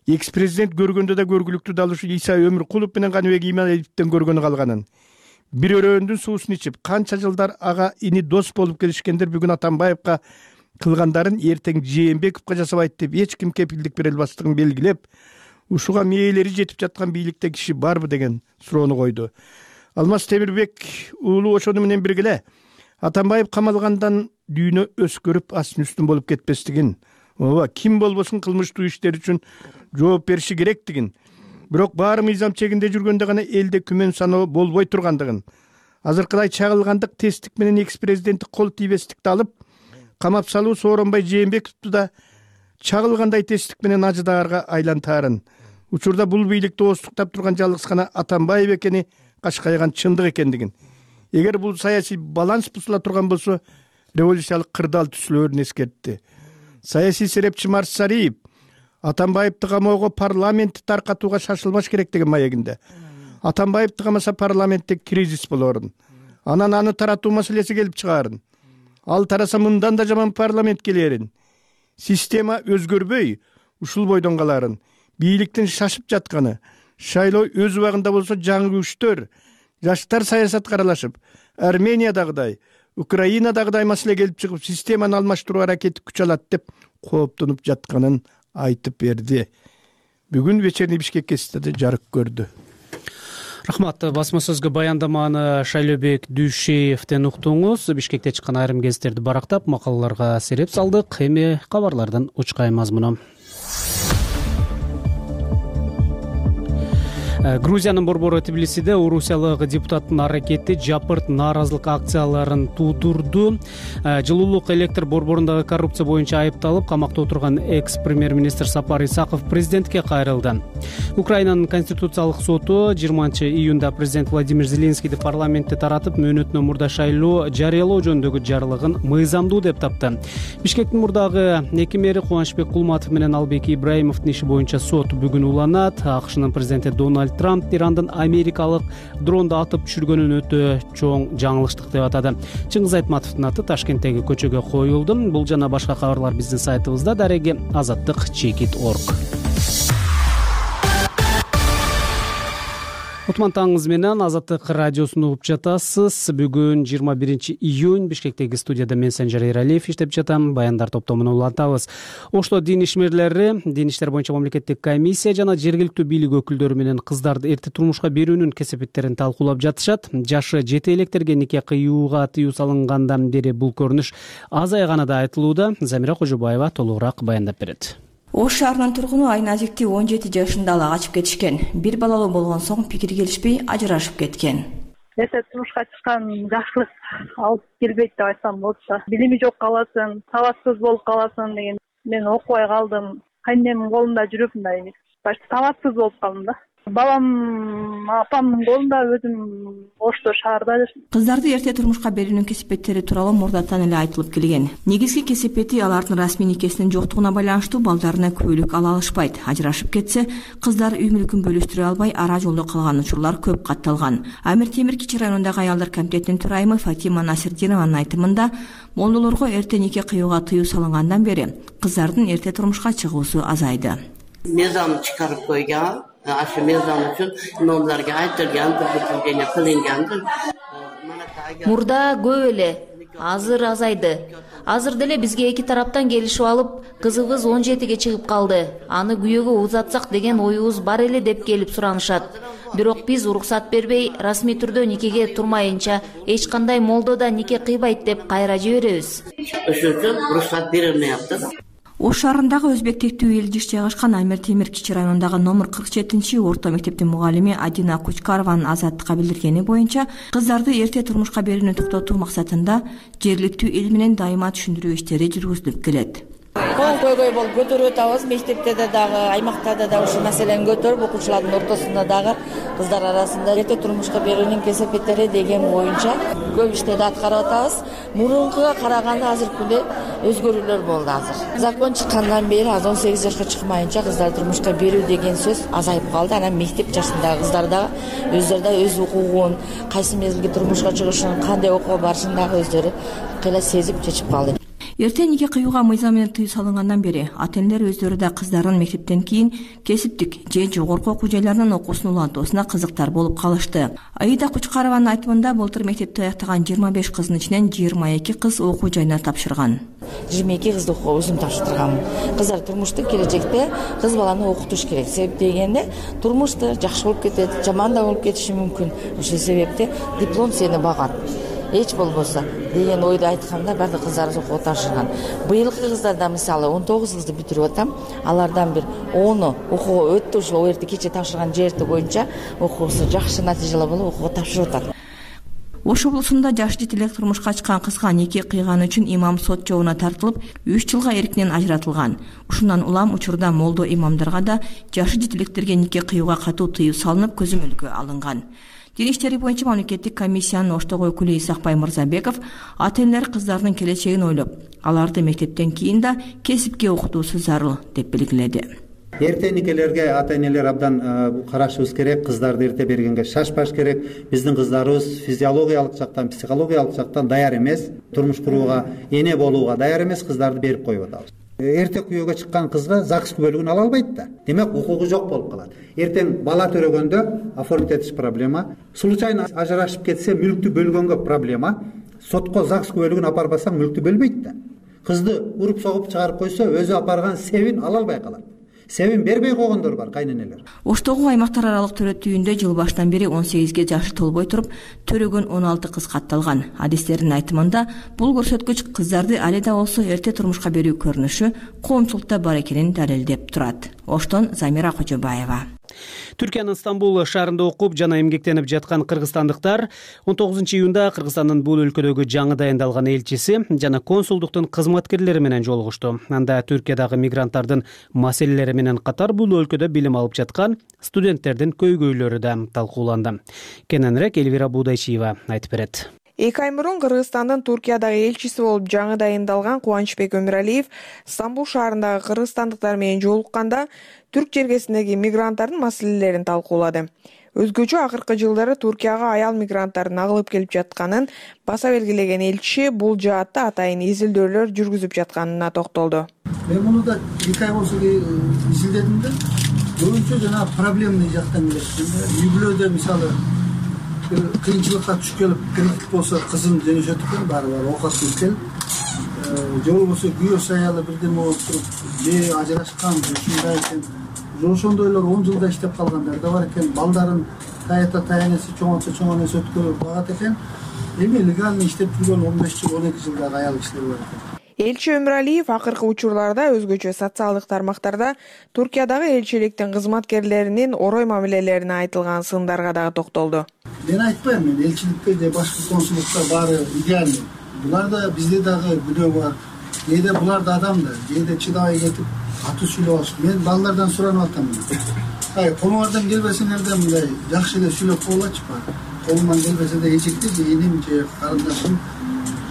Экс-президент көргөндө да көргүлүктүү далушу Иса Өмүркулов менен Каныбек Иманалиевден көргөнү калганын, бир өрөөндүн суусун ичип, канча жылдар ага ини дос болуп келишкендер бүгүн Атамбаевга кылгандарын эртең Жээнбековго жасабайт деп эч ким кепилдик бере албастыгын белгилеп, ушуга мээлери жетип жаткан бийликте киши барбы деген суроону койду. Алмаз Темирбек уулу ошону менен бирге Атамбаев камалгандан дүйнө өскөрүп астын үстүн болуп кетпестигин, ооба ким болбосун кылмыштуу иштер үчүн жооп бериши керектигин, бирок баары мыйзам чегинде жүргөндө гана элде күмөн саноо болбой тургандыгын, азыркыдай чагылгандык тесттик менен экс-президенттик кол тийбестикти алып камап салуу Сооронбай Жээнбековду да чагылгандай тесттик менен ажыдаарга айлантаарын, учурда бул бийликти оостуктап турган жалгыз гана Атамбаев экени качкайган чындык экендигин, эгер бул саясий баланс бузула турган болсо революциялык кырдаал түзүлөрүн эскертти. Саясий серепчи Марс Сариев Атамбаевди камоого парламентти таркатууга шашылбаш керек деген маегинде. Атамбаевди камаса парламентте кризис болорун. Анан аны таратуу маселеси келип чыгаарын. Ал тараса мындан да жаман парламент келерин. Система өзгөрбөй, ушул бойдон каларын. Бийликтин шашып жатканы, шайлоо өз убагында болсо жаңы күчтөр, жаштар саясатка аралашып, Армениядагыдай, Украинадагыдай маселе келип чыгып, системаны алмаштыруу аракети күч алат деп кооптонуп жатканын айтып берди. Бүгүн вечерний Бишкек гезитеде жарык көрдү. Рахмат. Басма сөзгө баяндаманы Шайлообек Дүйшеевден уктуңуз. Бишкекте чыккан айрым гезиттерди барактап, макалаларга сереп салдык. Эми кабарлардан учкай мазмуну. Грузиянын борбору Тбилисиде орусиялык депутаттын аракети жапырт нааразылык акцияларын туудурду. Жылуулук электр борборундагы коррупция боюнча айыпталып, камакта отурган экс-премьер-министр Сапар Исаков президентке кайрылды. Украинанын конституциялык соту жыйырманчы июнда президент Владимир Зеленскийди парламентте таратып, мөөнөтүнөн мурда шайлоо жарыялоо жөнүндөгү жарлыгын мыйзамдуу деп тапты. Бишкектин мурдагы эки мэри Кубанычбек Кулматов менен Албек Ибраимовдун иши боюнча сот бүгүн уланат. АКШнын президенти Дональд Трамп Ирандын америкалык дронду атып түшүргөнүн өтө чоң жаңылыштык деп атады. Чыңгыз Айтматовдун аты Ташкенттеги көчөгө коюлду. Бул жана башка кабарлар биздин сайтыбызда, дареги азаттык чекит точка орг. Утман таңыңыз менен Азаттык радиосун угуп жатасыз. Бүгүн жыйырма биринчи июнь Бишкектеги студияда мен Санжар Эралиев иштеп жатам. Баяндар топтомун улантабыз. Ошто дин ишмерлери, дин иштер боюнча мамлекеттик комиссия жана жергиликтүү бийлик өкүлдөрү менен кыздарды эрте турмушка берүүнүн кесепеттерин талкуулап жатышат. Жашы жете электерге нике кыюуга тыюу салынгандан бери бул көрүнүш азайганы да айтылууда. Замира Кожобаева толугураак баяндап берет. Ош шаарынын тургуну Айназикти он жети жашында ала качып кетишкен. Бир балалуу болгон соң пикир келишпей ажырашып кеткен. Эрте турмушка чыккан жакшылык алып келбейт деп айтсам болот да. Билими жок каласың, сабатсыз болуп каласың деген. Мен окубай калдым. Кайненемдин колунда жүрүп мындай башта сабатсыз болуп калдым да. Балам апамдын колунда, өзүм Ошто шаарда жашайм. Кыздарды эрте турмушка берүүнүн кесепеттери тууралуу мурдатан эле айтылып келген. Негизги кесепети алардын расмий никесинин жоктугуна байланыштуу балдарына күбөлүк ала алышпайт. Ажырашып кетсе, кыздар үй мүлкүн бөлүштүрө албай ара жолдо калган учурлар көп катталган. Амир Темир Кичи районундагы аялдар комитетинин төрайымы Фатима Насирдинованын айтымында, молдолорго эрте нике кыюуга тыюу салынгандан бери кыздардын эрте турмушка чыгуусу азайды. Мезам чыгарып койгон. Ашы мезам үчүн номдорго айтылган, предупреждение кылынган. Мурда көп эле, азыр азайды. Азыр деле бизге эки тараптан келишип алып, кызыбыз он жетиге чыгып калды. Аны күйөөгө узатсак деген оюбуз бар эле деп келип суранышат. Бирок биз уруксат бербей, расмий түрдө никеге турмайынча эч кандай молдо да нике кыйбайт деп кайра жиберебиз. Ошол үчүн уруксат берилмейапты. Ош шаарындагы өзбек тектүү эл жиш жайгашкан Амир Темир Кичи районундагы номер кырк жетинчи орто мектептин мугалими Адина Кучкарованын Азаттыкка билдиргени боюнча, кыздарды эрте турмушка берүүнү токтотуу максатында жергиликтүү эл менен дайыма түшүндүрүү иштери жүргүзүлүп келет. Кол көйгөй болуп көтөрүп атабыз. Мектепте да дагы, аймактарда да ушул маселени көтөрүп, окуучулардын ортосунда дагы кыздар арасында эрте турмушка берүүнүн кесепеттери деген боюнча көп иштерди аткарып атабыз. Мурункуга караганда азыркы күндө өзгөрүүлөр болду азыр. Закон чыккандан бери аз он сегиз жашка чыкмайынча кыздар турмушка берүү деген сөз азайып калды. Анан мектеп жашындагы кыздар да өздөрү да өз укугун, кайсы мезгилде турмушка чыгышын, кандай окууга барышын дагы өздөрү кыйла сезип чечип калды. Эрте нике кыюуга мыйзам менен тыюу салынгандан бери ата-энелер өздөрү да кыздарын мектептен кийин кесиптик же жогорку окуу жайларынын окуусун улантуусуна кызыктар болуп калышты. Аида Кучкарованын айтымында былтыр мектепти аяктаган жыйырма беш кыздын ичинен жыйырма эки кыз окуу жайына тапшырган. жыйырма эки кызды өзүм тапшыртырганмын. Кыздар турмушту келечекте кыз баланы окутуш керек. Себеп дегенде турмушта жакшы болуп кетет, жаман да болуп кетиши мүмкүн. Ошол себепте диплом сени багат. Эч болбосо деген ойду айтканда бардык кыздарыбыз окууга тапшырган. Быйылкы кыздарда мисалы он тогуз кызды бүтүрүп атам. Алардан бир ону окууга өттү, ошол эрте кече тапшырган жерти боюнча окуусу жакшы натыйжалуу болуп окууга тапшырып атат. Ош облусунда жаш жетелек турмушка чыккан кызга нике кыйганы үчүн имам сот жообуна тартылып, үч жылга эркинен ажыратылган. Ушундан улам учурда молдо имамдарга да жашы жетелектерге нике кыюуга катуу тыюу салынып, көзөмөлгө алынган. Дин иштери боюнча мамлекеттик комиссиянын Оштогу өкүлү Исакбай Мырзабеков ата-энелер кыздардын келечегин ойлоп, аларды мектептен кийин да кесипке окутуусу зарыл деп белгиледи. эртеникелерге ата энелер абдан карашыбыз керек. Кыздарды эрте бергенге шашпаш керек. Биздин кыздарыбыз физиологиялык жактан, психологиялык жактан даяр эмес, турмуш курууга, эне болууга даяр эмес, кыздарды берип коюп атабыз. Эрте күйөөгө чыккан кызга ЗАГС күбөлүгүн ала албайт да. Демек укугу жок болуп калат. Эртең бала төрөгөндө оформить этиш проблема, случайно ажырашып кетсе мүлктү бөлгөнгө проблема. Сотко ЗАГС күбөлүгүн апарбасаң мүлктү бөлбөйт да. Кызды уруп согуп чыгарып койсо, өзү апарган себин ала албай калат. Себин бербей койгондор бар, кайненелер. Оштогу аймактар аралык төрөтүүндө жыл башынан бери он сегизге жашы толбой туруп төрөгөн он алты кыз катталган. Адистердин айтымында бул көрсөткүч кыздарды али да болсо эрте турмушка берүү көрүнүшү коомчулукта бар экенин далилдеп турат. Оштон Замира Кожобаева. Түркиянын Стамбул шаарында окуп жана эмгектенип жаткан кыргызстандыктар он тогузунчу июнда Кыргызстандын бул өлкөдөгү жаңы дайындалган элчиси жана консулдуктун кызматкерлери менен жолугушту. Анда Түркиядагы мигранттардын маселелери менен катар бул өлкөдө билим алып жаткан студенттердин көйгөйлөрү да талкууланды. Кененирээк Элвира Будайчиева айтып берет. Эки ай мурун Кыргызстандын Туркиядагы элчиси болуп жаңы дайындалган Кубанычбек Өмүралиев Стамбул шаарындагы кыргызстандыктар менен жолукканда түрк жергесиндеги мигранттардын маселелерин талкуулады. Өзгөчө акыркы жылдары Туркияга аял мигранттардын агылып келип жатканын баса белгилеген элчи бул жаатта атайын изилдөөлөр жүргүзүп жатканына токтолду. Мен муну да эки ай болсо изилдедим да, көбүнчө жана проблемный жактан келет. Үй бүлөдө мисалы кыйынчылыкка түшүп келип кредит болсо кызын жөнөтөт экен, баары бар оокат кылып келип, же болбосо күйөөсү аялы бирдеме болуп туруп, же ажырашкан, ушундай экен. Ошондойлор он жылда иштеп калгандар да бар экен. Балдарын таята таянеси чоңойтса чоңойтса өткөрүп багат экен. Эми легально иштеп жүргөн он беш жыл, он эки жылдагы аял кишилер бар экен. Элчи Өмүралиев акыркы учурларда өзгөчө социалдык тармактарда Туркиядагы элчиликтин кызматкерлеринин орой мамилелерине айтылган сындарга дагы токтолду. Мен айтпайм, мен элчиликте же башка консулдукта баары идеальный. Булар да бизде дагы күнөө бар. Кээде булар да адам да, кээде чыдабай кетип аты сүйлөп алышып. Мен балдардан суранып атам. Ай, колуңардан келбесеңерде мындай жакшы эле сүйлөп коелачы бар. Колуман келбесе да эжекте же эним же карындашым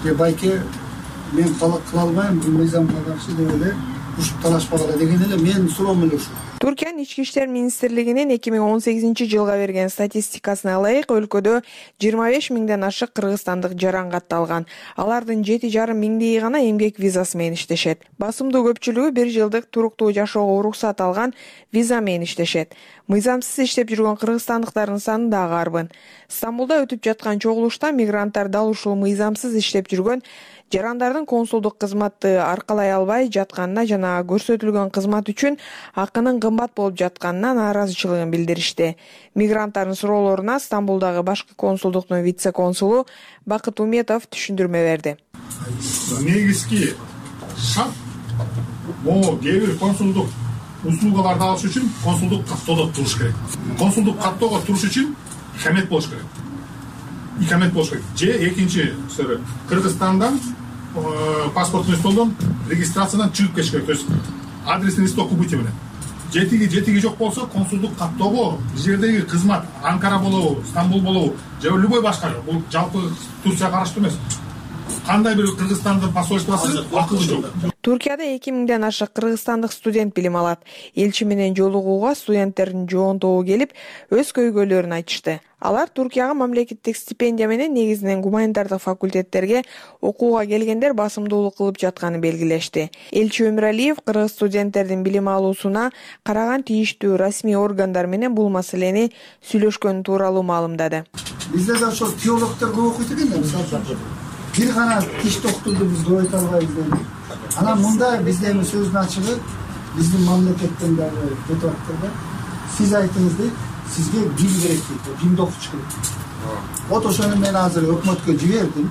же байке мен кыла албайм, бул мыйзамга каршы деп эле ушуп талашпагыла деген эле менин суроом эле ушул. Түркиянын ички иштер министрлигинин эки миң он сегизинчи жылга берген статистикасына ылайык өлкөдө жыйырма беш миңден ашык кыргызстандык жаран катталган. Алардын жети жарым миңдейи гана эмгек визасы менен иштешет. Басымдуу көпчүлүгү бир жылдык туруктуу жашоого уруксат алган виза менен иштешет. Мыйзамсыз иштеп жүргөн кыргызстандыктардын саны дагы арбын. Стамбулда өтүп жаткан чогулушта мигранттар дал ушул мыйзамсыз иштеп жүргөн жарандардын консулдук кызматты аркалай албай жатканына жана көрсөтүлгөн кызмат үчүн акынын кымбат болуп жатканына нааразычылыгын билдиришти. Мигранттардын суроолоруна Стамбулдагы башкы консулдуктун вице-консулу Бакыт Уметов түшүндүрмө берди. Негизги шарт могу кээ бир консулдук услугаларды алыш үчүн консулдук каттоодо туруш керек. Консулдук каттоого туруш үчүн икамет болуш керек. Икамет болуш керек. Же экинчи Кыргызстандан паспортный столдон регистрациядан чыгып кетиш керек. То есть адресный листок убытие менен. Жетиги жетиги жок болсо консулдук каттоого жердеги кызмат Анкара болобу, Стамбул болобу, же любой башка, бул жалпы Турцияга караштуу эмес. Кандай бир Кыргызстандын посольствосу акылы жок. Туркияда эки миңден ашык кыргызстандык студент билим алат. Элчи менен жолугууга студенттердин жоонтобу келип, өз көйгөйлөрүн айтышты. Алар Туркияга мамлекеттик стипендия менен негизинен гуманитардык факультеттерге окууга келгендер басымдуулук кылып жатканын белгилешти. Элчи Өмүралиев кыргыз студенттердин билим алуусуна караган тийиштүү расмий органдар менен бул маселени сүйлөшкөн тууралуу маалымдады. Бизде да ошол теологдор көп окуйт экен да, мисалы. Бир гана тиш доктурду биз көп айта албайбыз. Анан мында бизде эми сөздүн ачыгы биздин мамлекеттен дагы кетип атты да. Сиз айтыңыз дейт, сизге бим керек дейт, бимди окутуш керек. Вот ошону мен азыр өкмөткө жибердим.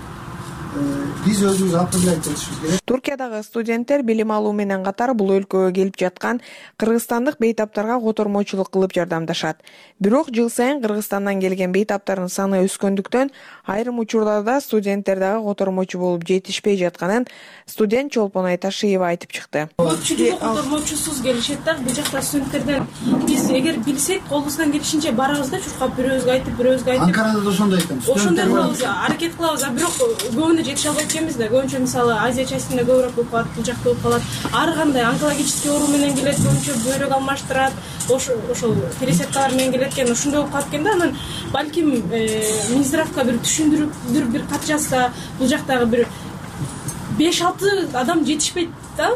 Биз өзүбүз апелляция этишибиз керек. Туркиядагы студенттер билим алуу менен катар бул өлкөгө келип жаткан кыргызстандык бейтаптарга котормочулук кылып жардамдашат. Бирок жыл сайын Кыргызстандан келген бейтаптардын саны өскөндүктөн айрым учурларда студенттер дагы котормочу болуп жетишпей жатканын студент Чолпон Айташиева айтып чыкты. Көпчүлүгү котормочусуз келишет да, бул жакта студенттерден биз эгер билсек, колубуздан келишинче барабыз да, чуркап бирөөбүзгө айтып, бирөөбүзгө айтып. Анкарада да ошондой экен. Ошондой кылабыз, аракет кылабыз, а бирок көбүнө ошондо жетише албайт экенбиз да. Көбүнчө мисалы Азия частинде көбүрөөк болуп калат, бул жакта болуп калат. Ар кандай онкологический оору менен келет, көбүнчө бөйрөк алмаштырат, ошол пересадкалар менен келет экен. Ошондой болуп калат экен да. Анан балким Минздравга бир түшүндүрүп бир кат жазса, бул жактагы бир беш алты адам жетишпейт да.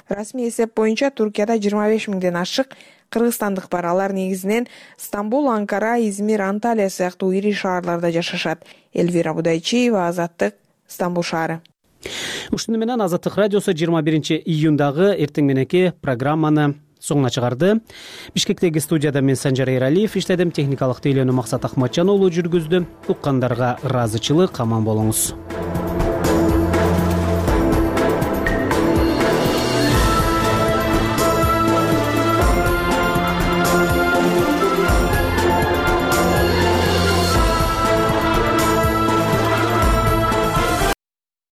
Расмий эсеп боюнча Туркияда жыйырма беш миңден ашык кыргызстандык бар. Алар негизинен Стамбул, Анкара, Измир, Анталия сыяктуу ири шаарларда жашашат. Элвира Будайчиева, Азаттык, Стамбул шаары. Ушуну менен Азаттык радиосу жыйырма биринчи июндагы эртең мененки программаны соңуна чыгарды. Бишкектеги студияда мен Санжар Эралиев иштедим, техникалык тейлөөнү Максат Акматжан уулу жүргүздү. Уккандарга ыраазычылык, аман болуңуз.